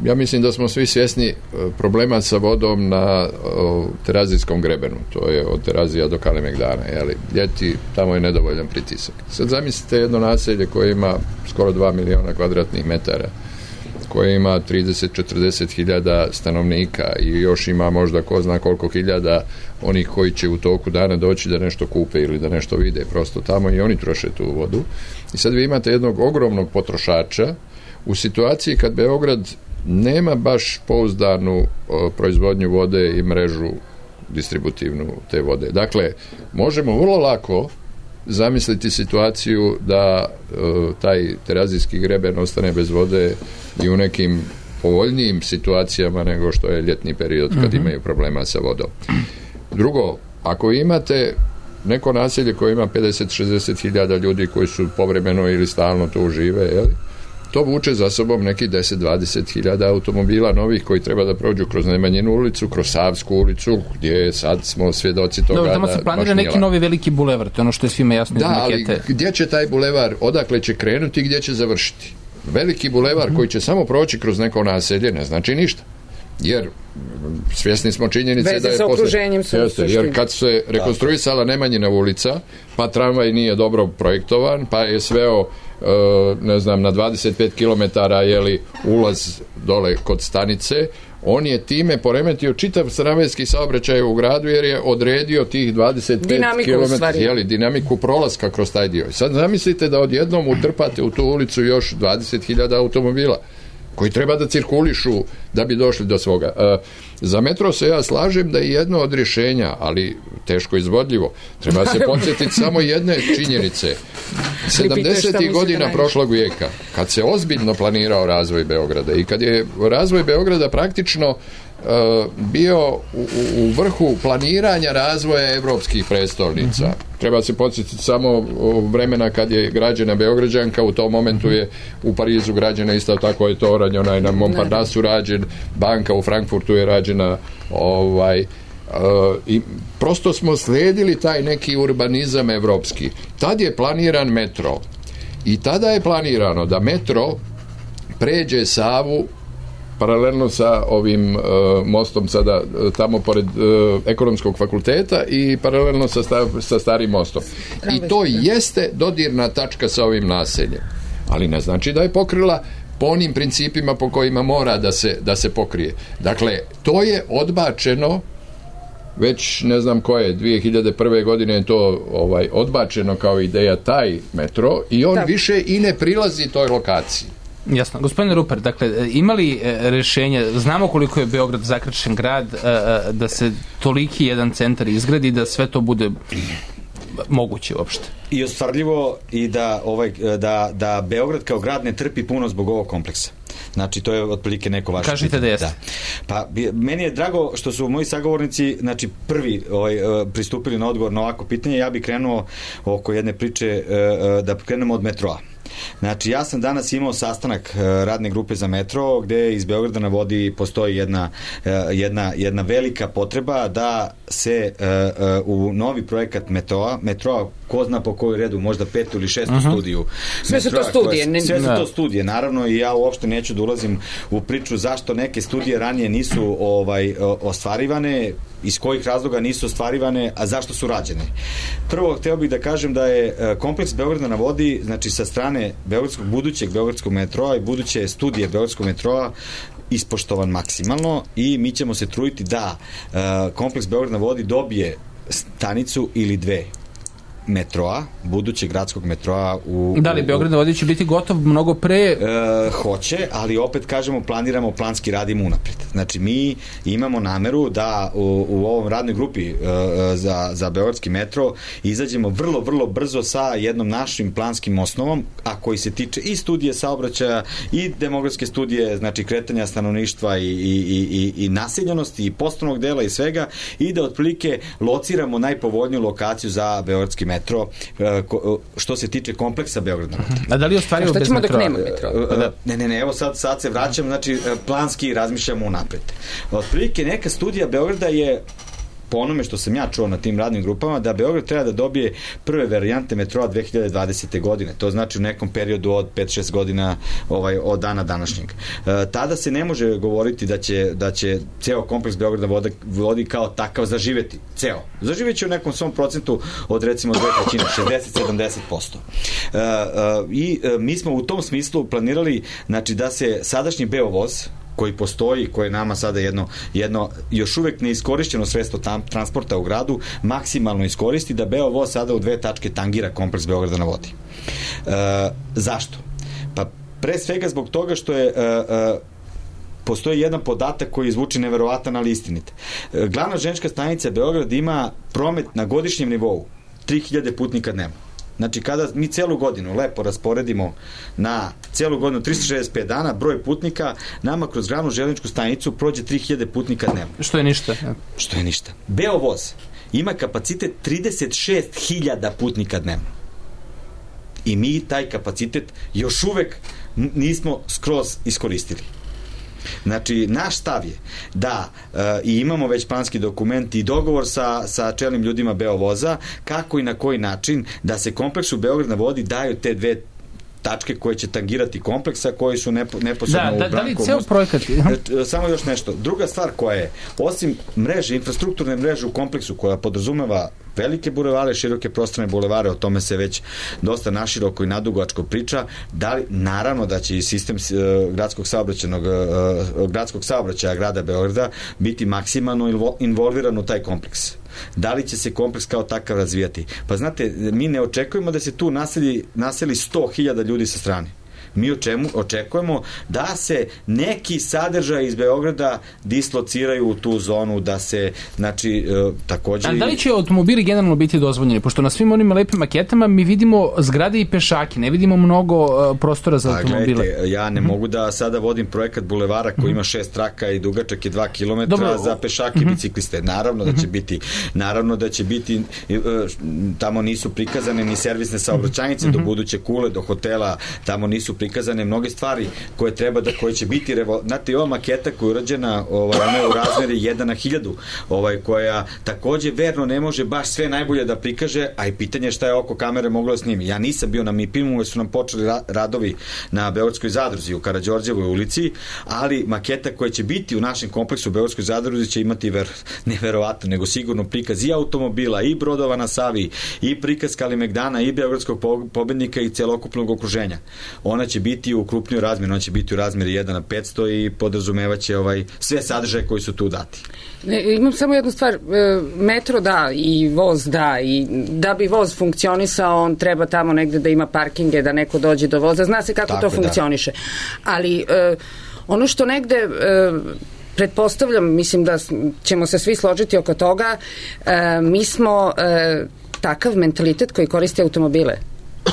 ja mislim da smo svi svjesni problema sa vodom na o, Terazijskom grebenu. To je od Terazija do Kalemegdana. Jeli? Ljeti, tamo je nedovoljan pritisak. Sad zamislite jedno naselje koje ima skoro dva miliona kvadratnih metara, koje ima trideset do četrdeset hiljada stanovnika i još ima možda ko zna koliko hiljada onih koji će u toku dana doći da nešto kupe ili da nešto vide. Prosto tamo i oni troše tu vodu. I sad vi imate jednog ogromnog potrošača u situaciji kad Beograd nema baš pouzdanu o, proizvodnju vode i mrežu distributivnu te vode. Dakle, možemo vrlo lako zamisliti situaciju da o, taj Terazijski greben ostane bez vode i u nekim povoljnijim situacijama nego što je ljetni period kad mm-hmm. imaju problema sa vodom. Drugo, ako imate neko naselje koje ima pedeset do šezdeset hiljada ljudi koji su povremeno ili stalno tu žive, jeli? To vuče za sobom neki deset do dvadeset hiljada automobila novih koji treba da prođu kroz Nemanjinu ulicu, kroz Savsku ulicu, gdje sad smo svjedoci toga. Dobro, tamo se planira neki novi veliki bulevar, to je ono što je svima jasno iz makete. Da, ali gdje će taj bulevar, odakle će krenuti i gdje će završiti? Veliki bulevar mm-hmm. koji će samo proći kroz neko naselje ne znači ništa. Jer svjesni smo činjenice Veze da je sa okruženjem su jeste, jer kad se rekonstruisala Nemanjina ulica, pa tramvaj nije dobro projektovan, pa je sveo ne znam, na dvadeset pet kilometara jeli ulaz dole kod stanice, on je time poremetio čitav tramvajski saobraćaj u gradu jer je odredio tih dvadeset pet kilometara jeli, dinamiku prolaska kroz taj dio. Sad zamislite da odjednom utrpate u tu ulicu još dvadeset hiljada automobila koji treba da cirkulišu da bi došli do svoga. E, za metro se ja slažem da je jedno od rješenja, ali teško izvodljivo. Treba se podsjetiti samo jedne činjenice. sedamdesetih godina prošlog vijeka, kad se ozbiljno planirao razvoj Beograda i kad je razvoj Beograda praktično Uh, bio u, u vrhu planiranja razvoja evropskih prestolnica. Uh-huh. Treba se podsjetiti samo vremena kad je građena Beograđanka, u tom momentu je u Parizu građena isto tako je to rađeno, onaj na Montparnasu rađen, banka u Frankfurtu je rađena, ovaj, uh, i prosto smo slijedili taj neki urbanizam evropski. Tad je planiran metro i tada je planirano da metro pređe Savu paralelno sa ovim uh, mostom sada uh, tamo pored uh, ekonomskog fakulteta i paralelno sa, sta, sa starim mostom. I to jeste dodirna tačka sa ovim naseljem. Ali ne znači da je pokrila po onim principima po kojima mora da se, da se pokrije. Dakle, to je odbačeno već ne znam koje, dvije hiljade prve godine je to ovaj, odbačeno kao ideja taj metro i on da. više i ne prilazi toj lokaciji. Jasno. Gospodine Rupar, dakle, ima li rješenje, znamo koliko je Beograd zakrčen grad, da se toliki jedan centar izgradi, da sve to bude moguće uopšte? I ostvarljivo i da, ovaj, da, da Beograd kao grad ne trpi puno zbog ovog kompleksa. Znači, to je otprilike neko vaše Kažite pitanje. da jeste. Da. Pa, meni je drago što su moji sagovornici, znači, prvi ovaj, pristupili na odgovor na ovako pitanje. Ja bih krenuo oko jedne priče, da krenemo od metroa. Znači, ja sam danas imao sastanak radne grupe za metro, gde iz Beograda na vodi postoji jedna, jedna, jedna velika potreba da se u novi projekat metroa, metroa, ko zna po koju redu, možda petu ili šestu uh-huh. studiju. Sve su to studije. Koje, sve su to studije, naravno, i ja uopšte neću da ulazim u priču zašto neke studije ranije nisu ovaj, ostvarivane, iz kojih razloga nisu ostvarivane, a zašto su rađene. Prvo, hteo bih da kažem da je kompleks Beograda na vodi, znači sa strane Beogradskog, budućeg Beogradskog metroa i buduće studije Beogradskog metroa ispoštovan maksimalno i mi ćemo se truditi da uh, kompleks Beograd na vodi dobije stanicu ili dve metroa, budućeg gradskog metroa u... Da li Beograd na vodi će biti gotov mnogo pre? E, hoće, ali opet kažemo, planiramo, planski radimo unapred. Znači, mi imamo nameru da u, u ovom radnoj grupi e, za, za Beogradski metro izađemo vrlo, vrlo brzo sa jednom našim planskim osnovom, a koji se tiče i studije saobraćaja i demografske studije, znači kretanja stanovništva i, i, i, i naseljenosti i poslovnog dela i svega, i da otprilike lociramo najpovoljniju lokaciju za Beogradski metro, što se tiče kompleksa Beograda. A da li ostvarimo bez metroa? Šta ćemo dok nema metro? Ne, ne, ne, evo sad, sad se vraćam, znači planski razmišljamo unapred. Otprilike neka studija Beograda je, po onome što sam ja čuo na tim radnim grupama, da Beograd treba da dobije prve varijante metroa dve hiljade dvadesete. godine. To znači u nekom periodu od pet šest godina ovaj, od dana današnjeg. E, tada se ne može govoriti da će, da će ceo kompleks Beograda vodi, vodi kao takav zaživeti. Ceo. Zaživeće u nekom svom procentu od recimo dve trećine, šezdeset do sedamdeset posto. E, e, I e, mi smo u tom smislu planirali, znači, da se sadašnji Beovoz, koji postoji, koje je nama sada jedno, jedno još uvek neiskorišćeno sredstvo tam, transporta u gradu, maksimalno iskoristi, da Beovoz sada u dve tačke tangira kompleks Beograda na vodi. E, zašto? Pa pre svega zbog toga što je e, e, postoji jedan podatak koji zvuči neverovatan, ali istinit. E, glavna železnička stanica Beograd ima promet na godišnjem nivou tri hiljade putnika dnevno. Znači, kada mi celu godinu lepo rasporedimo na celu godinu tristo šezdeset pet dana, broj putnika, nama kroz glavnu železničku stanicu prođe tri hiljade putnika dnevno. Što je ništa. Što je ništa. Beovoz ima kapacitet trideset šest hiljada putnika dnevno. I mi taj kapacitet još uvek nismo skroz iskoristili. Znači, naš stav je da e, i imamo već planski dokument i dogovor sa, sa čelnim ljudima Beovoza kako i na koji način da se kompleksu Beograd na vodi daju te dve tačke koje će tangirati kompleksa, koji su nepo, neposredno da, u da, Brankovom. Da li ceo projekat? Samo još nešto. Druga stvar koja je, osim mreže, infrastrukturne mreže u kompleksu koja podrazumeva velike bulevare, široke prostrane bulevare, o tome se već dosta naširoko i nadugačko priča, da li, naravno da će i sistem uh, gradskog saobraćajnog uh, gradskog saobraćaja grada Beograda biti maksimalno involviran u taj kompleks. Da li će se kompleks kao takav razvijati? Pa znate, mi ne očekujemo da se tu naseli, naseli sto hiljada ljudi sa strane. Mi o čemu očekujemo da se neki sadržaj iz Beograda dislociraju u tu zonu, da se, znači, e, takođe... A da li će automobili generalno biti dozvoljeni? Pošto na svim onim lepim maketama mi vidimo zgrade i pešake, ne vidimo mnogo uh, prostora za pa, automobile. Gledajte, ja ne mm-hmm. mogu da sada vodim projekat bulevara koji mm-hmm. ima šest traka i dugačak je dva kilometra Dobro. za pešake i mm-hmm. bicikliste. Naravno da će biti, naravno da će biti, uh, tamo nisu prikazane ni servisne saobraćajnice mm-hmm. do buduće kule, do hotela, tamo nisu prikazane mnoge stvari koje treba da, koje će biti revo... Znate, ova maketa koja je urađena, ovaj, ona je u razmeri jedan na hiljadu, ovaj, koja takođe verno ne može baš sve najbolje da prikaže, a i pitanje šta je oko kamere moglo da snimi. Ja nisam bio na MIP-imu, jer su nam počeli ra- radovi na Beogradskoj zadruzi u Karađorđevoj ulici, ali maketa koja će biti u našem kompleksu u Beogradskoj zadruzi će imati ver... neverovatno, nego sigurno prikaz i automobila, i brodova na Savi, i prikaz Kalimegdana, i Beogradskog pobednika i celokupnog okruženja. Ona će biti u krupnoj razmjeri, ona će biti u razmjeri jedan na petsto i podrazumevaće ovaj, sve sadržaje koji su tu dati. Ne, imam samo jednu stvar, metro da i voz da, i da bi voz funkcionisao, on treba tamo negde da ima parkinge, da neko dođe do voza, zna se kako Tako, to funkcioniše. Da. Ali ono što negde pretpostavljam, mislim da ćemo se svi složiti oko toga, mi smo takav mentalitet koji koriste automobile.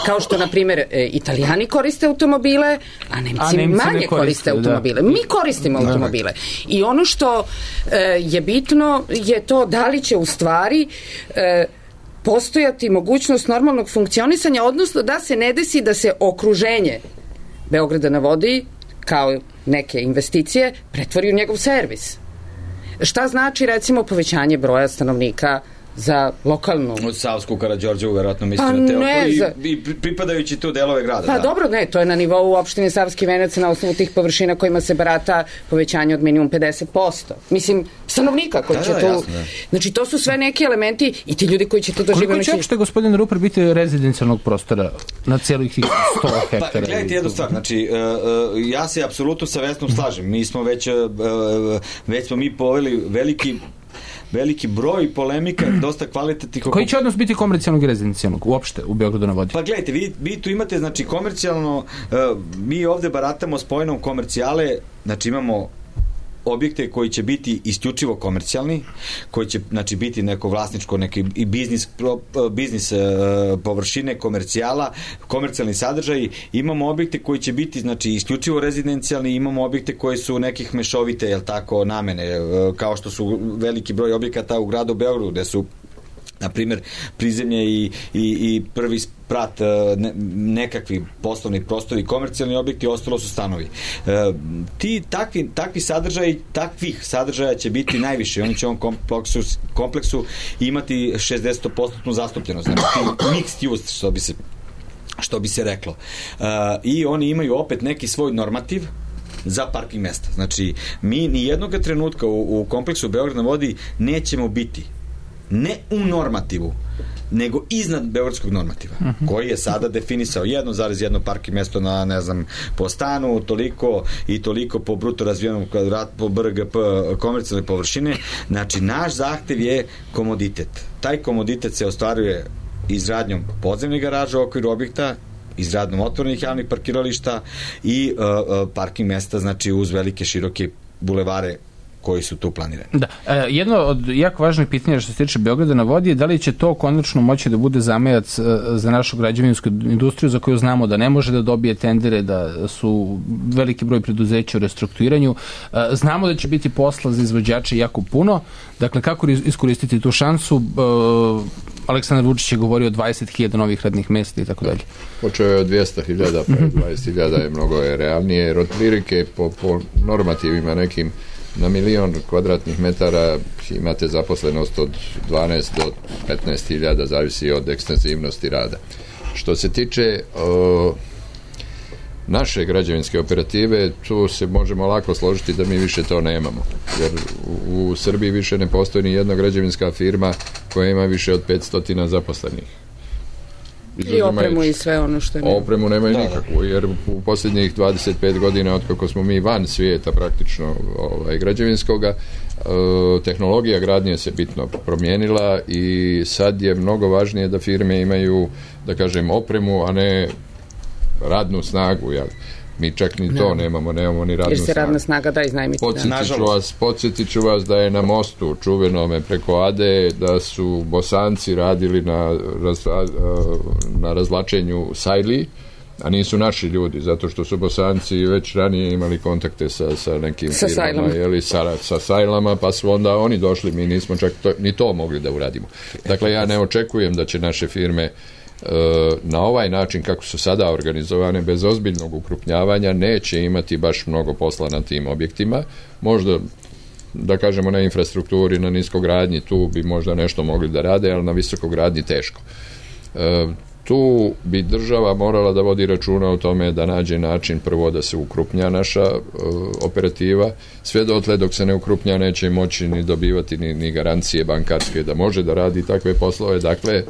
Kao što, na primjer, e, Italijani koriste automobile, a Nemci, a Nemci manje koriste, koriste automobile. Da. Mi koristimo automobile. I ono što e, je bitno je to da li će u stvari e, postojati mogućnost normalnog funkcionisanja, odnosno da se ne desi da se okruženje Beograda na vodi, kao neke investicije, pretvori u njegov servis. Šta znači, recimo, povećanje broja stanovnika za lokalnu... Od Savsku Karađorđevu, verovatno mislim pa na Teopu ne, i, za... i pripadajući tu delove grada. Pa da. dobro, ne, to je na nivou opštine Savski Venac na osnovu tih površina kojima se barata povećanje od minimum pedeset posto. Mislim, stanovnika koji da, će da, tu... Jasno, znači, to su sve neki elementi i ti ljudi koji će tu doživjeti... Koliko će uopšte, gospodin Ruper, biti rezidencijalnog prostora na cijelih tih sto hektara? Pa, gledajte jednu stvar, znači, uh, uh, ja se apsolutno sa Vesnom slažem. Mi smo već, uh, već smo mi poveli veliki veliki broj polemika, dosta kvalitetnih... Koji će odnos biti komercijalnog i rezidencijalnog uopšte u Beogradu na vodi? Pa gledajte, vi, vi tu imate, znači, komercijalno, uh, mi ovde baratamo s pojmom komercijale, znači imamo objekte koji će biti isključivo komercijalni, koji će, znači, biti neko vlasničko, neki i biznis, biznis uh, površine, komercijala, komercijalni sadržaj. Imamo objekte koji će biti, znači, isključivo rezidencijalni, imamo objekte koji su nekih mešovite, jel tako, namene, uh, kao što su veliki broj objekata u gradu Beogradu, gde su, na primjer, prizemlje i, i, i prvi sprat, ne, nekakvi poslovni prostori, komercijalni objekti, ostalo su stanovi. E, ti takvi, takvi sadržaj, takvih sadržaja će biti najviše. Oni će u ovom kompleksu, kompleksu imati šezdeset posto zastupljenost. Znači, mixed use, što bi se, što bi se reklo. E, I oni imaju opet neki svoj normativ za parking mesta. Znači, mi ni jednog trenutka u, u kompleksu Beograd na vodi nećemo biti ne u normativu, nego iznad beogradskog normativa, uh-huh. koji je sada definisao jedno zarez jedno parking mesto na, ne znam, po stanu, toliko i toliko po bruto razvijenom kvadratu, po B R G P komercijalne površine. Znači, naš zahtev je komoditet. Taj komoditet se ostvaruje izgradnjom podzemnih garaža u okviru objekta, izgradnjom otvorenih javnih parkirališta i uh, uh, parking mesta, znači, uz velike, široke bulevare koji su tu planirani. Da. E, jedno od jako važnih pitanja što se tiče Beograda na vodi je da li će to konačno moći da bude zamajac e, za našu građevinsku industriju za koju znamo da ne može da dobije tendere, da su veliki broj preduzeća u restrukturiranju. E, znamo da će biti posla za izvođače jako puno. Dakle, kako iskoristiti tu šansu? E, Aleksandar Vučić je govorio o dvadeset hiljada novih radnih mesta i tako dalje. Počeo je od dvesta hiljada, pa dvadeset hiljada je mnogo je realnije, jer otprilike po, po normativima nekim na milion kvadratnih metara imate zaposlenost od dvanaest do petnaest hiljada, zavisi od ekstenzivnosti rada. Što se tiče o, naše građevinske operative, tu se možemo lako složiti da mi više to nemamo. Jer u, u Srbiji više ne postoji ni jedna građevinska firma koja ima više od petsto zaposlenih. I opremu i sve ono što nema. Opremu nemaju da, nikakvu, jer u posljednjih dvadeset pet godina od kako smo mi van svijeta praktično ovaj, građevinskoga, e, tehnologija gradnje se bitno promijenila i sad je mnogo važnije da firme imaju, da kažem, opremu, a ne radnu snagu, jel? Mi čak ni to ne. nemamo, nemamo ni radnu snagu. Jer se radna snaga da iznajmiti. Podsjetit ću vas, podsjetit ću vas da je na mostu čuvenome preko Ade, da su Bosanci radili na, raz, na razvlačenju sajli, a nisu naši ljudi, zato što su Bosanci već ranije imali kontakte sa, sa nekim sa firmama, jeli, sa, sa sajlama, pa su onda oni došli, mi nismo čak to, ni to mogli da uradimo. Dakle, ja ne očekujem da će naše firme na ovaj način kako su sada organizovane, bez ozbiljnog ukrupnjavanja, neće imati baš mnogo posla na tim objektima. Možda, da kažemo, na infrastrukturi, na niskogradnji, tu bi možda nešto mogli da rade, ali na visokogradnji teško. E, tu bi država morala da vodi računa o tome da nađe način prvo da se ukrupnja naša e, operativa. Sve dotle dok se ne ukrupnja neće moći ni dobivati ni, ni garancije bankarske da može da radi takve poslove. Dakle,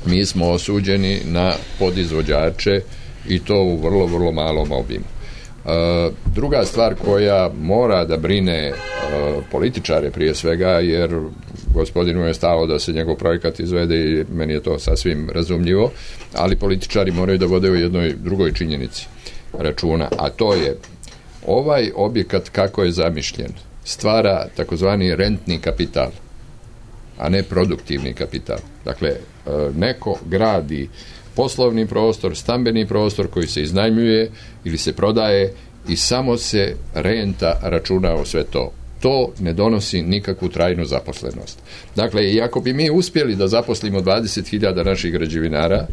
mi smo osuđeni na podizvođače i to u vrlo, vrlo malom obimu. E, druga stvar koja mora da brine e, političare prije svega, jer gospodinu je stalo da se njegov projekat izvede i meni je to sasvim razumljivo, ali političari moraju da vode u jednoj drugoj činjenici računa, a to je ovaj objekat kako je zamišljen stvara takozvani rentni kapital. a ne produktivni kapital. Dakle, neko gradi poslovni prostor, stambeni prostor koji se iznajmljuje ili se prodaje i samo se renta računa o sve to. To ne donosi nikakvu trajnu zaposlenost. Dakle, i ako bi mi uspjeli da zaposlimo dvadeset hiljada naših građevinara,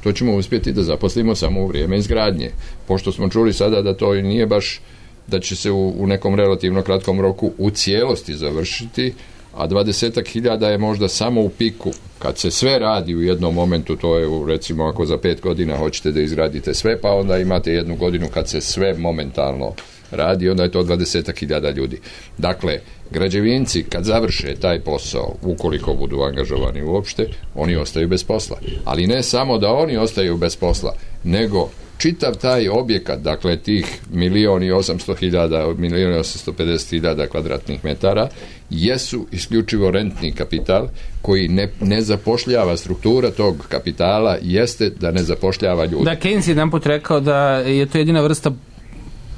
to ćemo uspjeti da zaposlimo samo u vrijeme izgradnje. Pošto smo čuli sada da to nije baš da će se u, u nekom relativno kratkom roku u cijelosti završiti, a dvadesetak hiljada je možda samo u piku. Kad se sve radi u jednom momentu, to je u, recimo ako za pet godina hoćete da izgradite sve, pa onda imate jednu godinu kad se sve momentalno radi, onda je to dvadesetak hiljada ljudi. Dakle, građevinci kad završe taj posao, ukoliko budu angažovani uopšte, oni ostaju bez posla. Ali ne samo da oni ostaju bez posla, nego čitav taj objekat, dakle tih milijon i osamsto hiljada, milijon i osamsto pedeset hiljada kvadratnih metara, jesu isključivo rentni kapital koji ne, ne zapošljava. Struktura tog kapitala jeste da ne zapošljava ljudi. Da, Keynes je jedan put rekao da je to jedina vrsta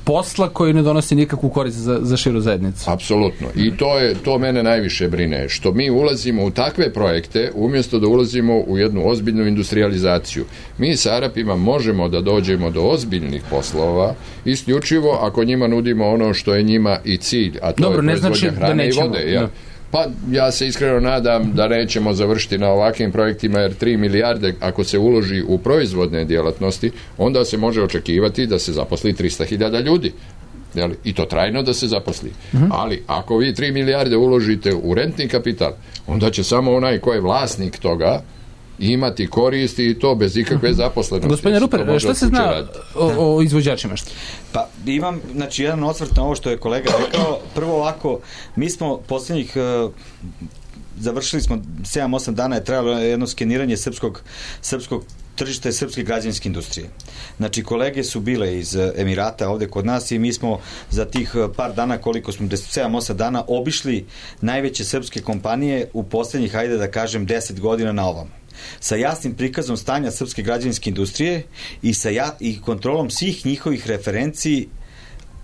posla koji ne donosi nikakvu korist za, za širu zajednicu. Apsolutno. I to je, to mene najviše brine. Što mi ulazimo u takve projekte umjesto da ulazimo u jednu ozbiljnu industrializaciju. Mi sa Arapima možemo da dođemo do ozbiljnih poslova isključivo ako njima nudimo ono što je njima i cilj, a to Dobro, je proizvodnja znači hrane i vode. Ja. Pa ja se iskreno nadam da nećemo završiti na ovakvim projektima, jer tri milijarde ako se uloži u proizvodne djelatnosti, onda se može očekivati da se zaposli trista hiljada ljudi. Jeli? I to trajno da se zaposli. Uh-huh. Ali ako vi tri milijarde uložite u rentni kapital, onda će samo onaj ko je vlasnik toga imati koristi i to bez ikakve zaposlenosti. Gospodine Ruper, šta se zna o, o izvođačima? Što? Pa imam, znači, jedan osvrt na ovo što je kolega rekao. Prvo ovako, mi smo posljednjih uh, završili smo sedam osam dana je trajalo jedno skeniranje srpskog, srpskog tržišta i srpske građevinske industrije. Znači, kolege su bile iz Emirata ovde kod nas i mi smo za tih par dana, koliko smo, sedam osam dana, obišli najveće srpske kompanije u posljednjih, hajde da kažem, deset godina na ovom. Sa jasnim prikazom stanja srpske građevinske industrije i sa ja, i kontrolom svih njihovih referenciji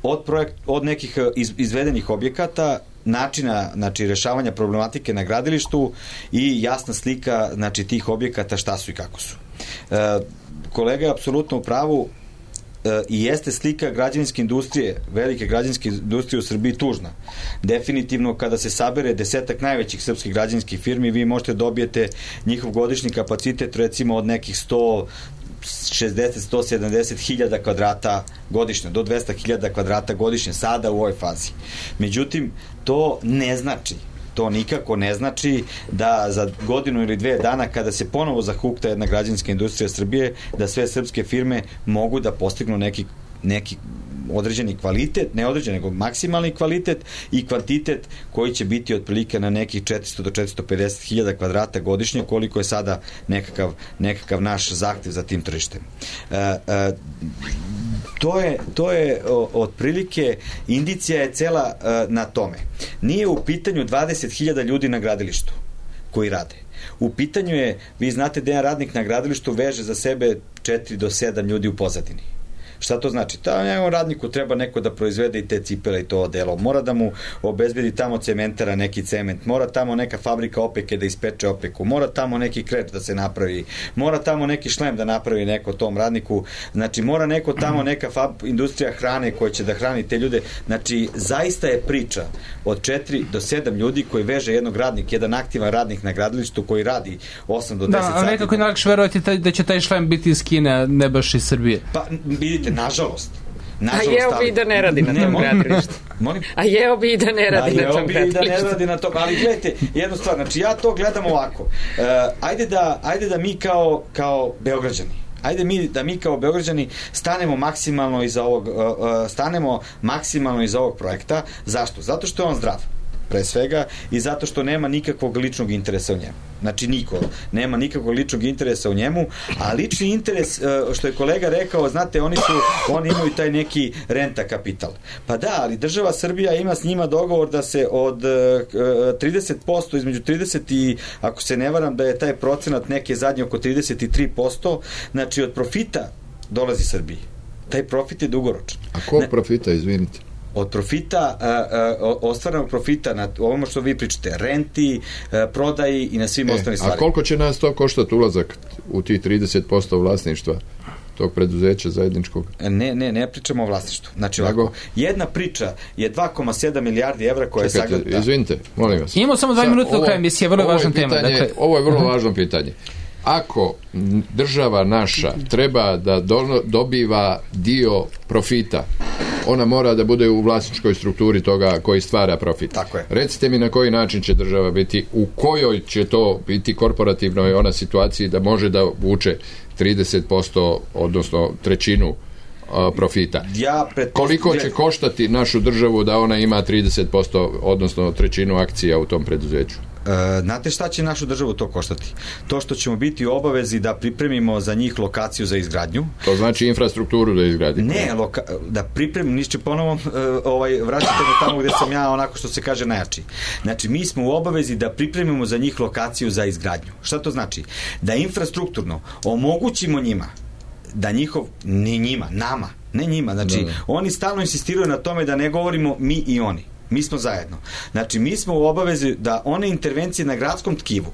od, projekt, od nekih iz, izvedenih objekata, načina, znači, rešavanja problematike na gradilištu i jasna slika, znači, tih objekata šta su i kako su. E, kolega je apsolutno u pravu, e, i jeste slika građevinske industrije, velike građevinske industrije u Srbiji tužna. Definitivno, kada se sabere desetak najvećih srpskih građevinskih firmi, vi možete dobijete njihov godišnji kapacitet recimo od nekih sto šezdeset do sto sedamdeset hiljada kvadrata godišnje, do dvesta hiljada kvadrata godišnje sada u ovoj fazi. Međutim, to ne znači to nikako ne znači da za godinu ili dve dana kada se ponovo zahukta jedna građevinska industrija Srbije, da sve srpske firme mogu da postignu neki, neki određeni kvalitet, ne određen, nego maksimalni kvalitet i kvantitet koji će biti otprilike na nekih četiristo do četiristo pedeset hiljada kvadrata godišnje, koliko je sada nekakav, nekakav naš zahtev za tim tržištem. E, e, to je, to je o, otprilike, indicija je cela e, na tome. Nije u pitanju dvadeset hiljada ljudi na gradilištu koji rade. U pitanju je, vi znate da jedan radnik na gradilištu veže za sebe četiri do sedam ljudi u pozadini. Šta to znači? Ta njegovom radniku treba neko da proizvede i te cipele i to odelo. Mora da mu obezbedi tamo cementara neki cement. Mora tamo neka fabrika opeke da ispeče opeku. Mora tamo neki kreč da se napravi. Mora tamo neki šlem da napravi neko tom radniku. Znači, mora neko tamo neka fab, industrija hrane koja će da hrani te ljude. Znači, zaista je priča od četiri do sedam ljudi koji veže jednog radnika, jedan aktivan radnik na gradilištu koji radi osam do deset sati. Da, a nekako je najlakše verovati da će taj šlem biti iz Kine, ne baš iz Srbije. Pa, vidite, nažalost. nažalost a jeo bi i da ne radi na tom gradilištu. A jeo bi i da ne radi na tom gradilištu. A jeo bi i da ne radi na tom, ali gledajte, jednu stvar, znači ja to gledam ovako. Uh, ajde, da, ajde da mi kao, kao Beograđani, ajde mi, da mi kao Beograđani stanemo maksimalno iza ovog, uh, uh, stanemo maksimalno iza ovog projekta. Zašto? Zato što je on zdrav, pre svega, i zato što nema nikakvog ličnog interesa u njemu. Znači, niko nema nikakvog ličnog interesa u njemu, a lični interes, što je kolega rekao, znate, oni su, oni imaju taj neki renta kapital. Pa da, ali država Srbija ima s njima dogovor da se od trideset posto, između trideset i, ako se ne varam, da je taj procenat neke zadnje oko trideset tri posto, znači od profita dolazi Srbiji. Taj profit je dugoročan. A kog profita, izvinite? od profita, uh, uh, ostvarenog profita na ovome što vi pričate, renti, uh, prodaji i na svim e, ostalim stvarima. A koliko će nas to koštati ulazak u tih trideset posto vlasništva tog preduzeća zajedničkog? Ne, ne, ne pričamo o vlasništvu. Znači, ovako, jedna priča je dva zarez sedam milijardi evra koja je sagledana. sagledana. Izvinite, molim vas. Imamo samo dva minuta do kraja emisije, vrlo važna tema. Dakle, ovo je vrlo važno pitanje. Ako država naša treba da do, dobiva dio profita, ona mora da bude u vlasničkoj strukturi toga koji stvara profit. Tako je. Recite mi na koji način će država biti, u kojoj će to biti korporativnoj ona situaciji da može da vuče trideset posto, odnosno trećinu uh, profita. Ja Koliko će koštati našu državu da ona ima trideset posto, odnosno trećinu akcija u tom preduzeću? E, znate šta će našu državu to koštati? To što ćemo biti u obavezi da pripremimo za njih lokaciju za izgradnju. To znači infrastrukturu da izgradimo. Ne, loka, da pripremimo, nišće ponovo e, ovaj, vraćate me tamo gde sam ja onako što se kaže najjači. Znači, mi smo u obavezi da pripremimo za njih lokaciju za izgradnju. Šta to znači? Da infrastrukturno omogućimo njima da njihov, ne njima, nama, ne njima, znači, da, da. Oni stalno insistiraju na tome da ne govorimo mi i oni. Mi smo zajedno. Znači, mi smo u obavezi da one intervencije na gradskom tkivu,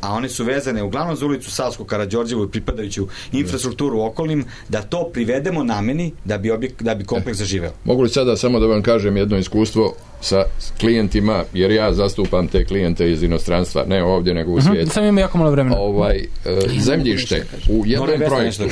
a one su vezane uglavnom za ulicu Savsku Karađorđevu i pripadajuću infrastrukturu okolnim, da to privedemo nameni da bi, objek, da bi kompleks zaživeo. Mogu li sada samo da vam kažem jedno iskustvo sa klijentima, jer ja zastupam te klijente iz inostranstva, ne ovdje nego u svijetu. Uh-huh, sam ima jako malo vremena. Ovaj, e, zemljište u jednom projektu,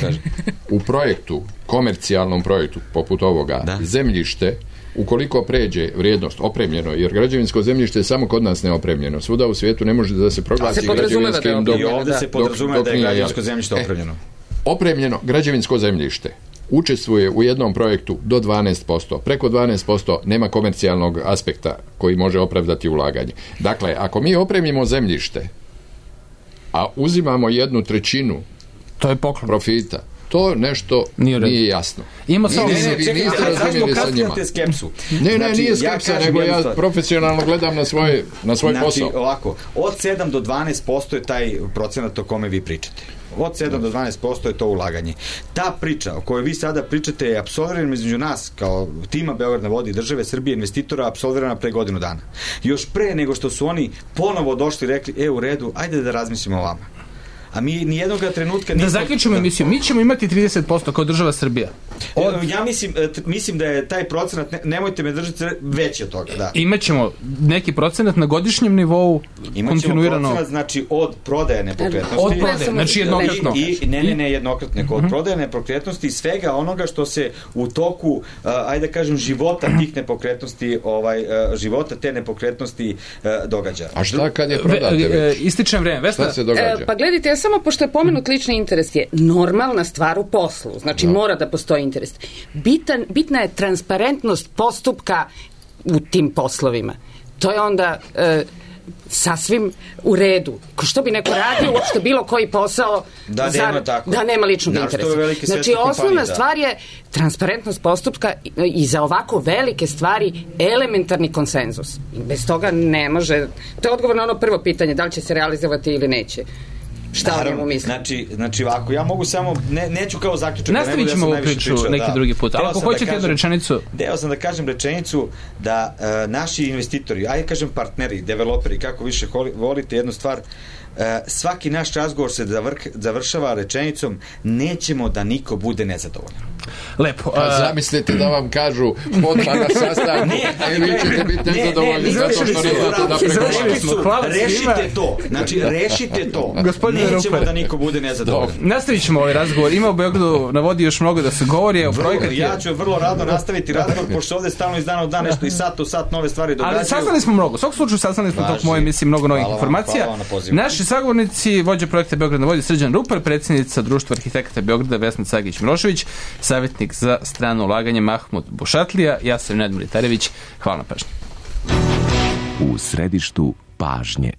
u projektu, komercijalnom projektu poput ovoga, da. Zemljište ukoliko pređe vrijednost opremljeno, jer građevinsko zemljište je samo kod nas neopremljeno. Svuda u svijetu ne može da se proglasi građevinskim dok, i ovdje se podrazumeva da je građevinsko zemljište opremljeno. E, opremljeno građevinsko zemljište učestvuje u jednom projektu do dvanaest posto. Preko dvanaest posto nema komercijalnog aspekta koji može opravdati ulaganje. Dakle, ako mi opremimo zemljište, a uzimamo jednu trećinu to je poklon profita, to nešto nije, nije jasno. Ima samo ne, ne, vi niste razumjeli sa njima. Ne, ne, nije skepsa, ja nego ja profesionalno gledam na svoj, na svoj znači, posao. Ovako, od sedam do dvanaest posto je taj procenat o kome vi pričate. Od sedam do dvanaest posto je to ulaganje. Ta priča o kojoj vi sada pričate je apsolvirana između nas kao tima Beograd na vodi, države Srbije, investitora, apsolvirana pre godinu dana. Još pre nego što su oni ponovo došli i rekli, e, u redu, ajde da razmislimo o vama. A mi nijednog trenutka nismo... Da zaključimo emisiju, mi ćemo imati trideset posto kao država Srbija. Od... Ja mislim, mislim da je taj procenat, ne, nemojte me držati, veći od toga. Da. Imaćemo neki procenat na godišnjem nivou kontinuirano. Imaćemo procenat, znači, od prodaje nepokretnosti. Od prodaje, znači jednokratno. I, i, ne, ne, ne, jednokratno. Od prodaje nepokretnosti i svega onoga što se u toku, uh, ajde da kažem, života tih nepokretnosti, ovaj, uh, života te nepokretnosti uh, događa. A šta kad je prodate već? Ističem vreme. Vesna? Šta se događa? E, pa gledajte, ja samo pošto je pomenut lični interes je normalna stvar u poslu. Znači, no. mora da postoji interes. Bitan, bitna je transparentnost postupka u tim poslovima. To je onda e, sasvim u redu. Ko što bi neko radio uopšte bilo koji posao da, za, nema, tako. da nema ličnog da, interesa. Znači, osnovna da. stvar je transparentnost postupka i, i za ovako velike stvari elementarni konsenzus. I bez toga ne može... To je odgovor na ono prvo pitanje, da li će se realizovati ili neće. Šta o njemu mislim? Znači, znači ovako, ja mogu samo, ne, neću kao zaključak. Nastavit ćemo ovu priču neki da. drugi put. Ako hoćete da jednu rečenicu... Deo sam da kažem rečenicu da uh, naši investitori, ajde kažem partneri, developeri, kako više volite jednu stvar, uh, svaki naš razgovor se zavr, završava rečenicom nećemo da niko bude nezadovoljan. Lepo. A zamislite da vam kažu odmah na sastanku, a vi ćete biti nezadovoljni zato što ne znate da pregovarate. Rešite to. Znači, rešite to. Nećemo da niko bude nezadovoljan. Nastavit ćemo ovaj razgovor. Ima u Beogradu na vodi još mnogo da se govori. Ja ću vrlo rado nastaviti razgovor, pošto ovde stalno iz dana u dan nešto i sat u sat nove stvari događaju. Ali saznali smo mnogo. U svakom slučaju saznali smo tog moje emisije mnogo novih informacija. Naši sagovornici, vođa projekta Beograd na vodi Srđan Rupar, predsjednica Društva arhitekata Beograda Vesna Cagić-Milošević, savjetnik za strano ulaganje Mahmud Bušatlija, ja sam Nedmir Tarević. Hvala na pažnji. U središtu pažnje.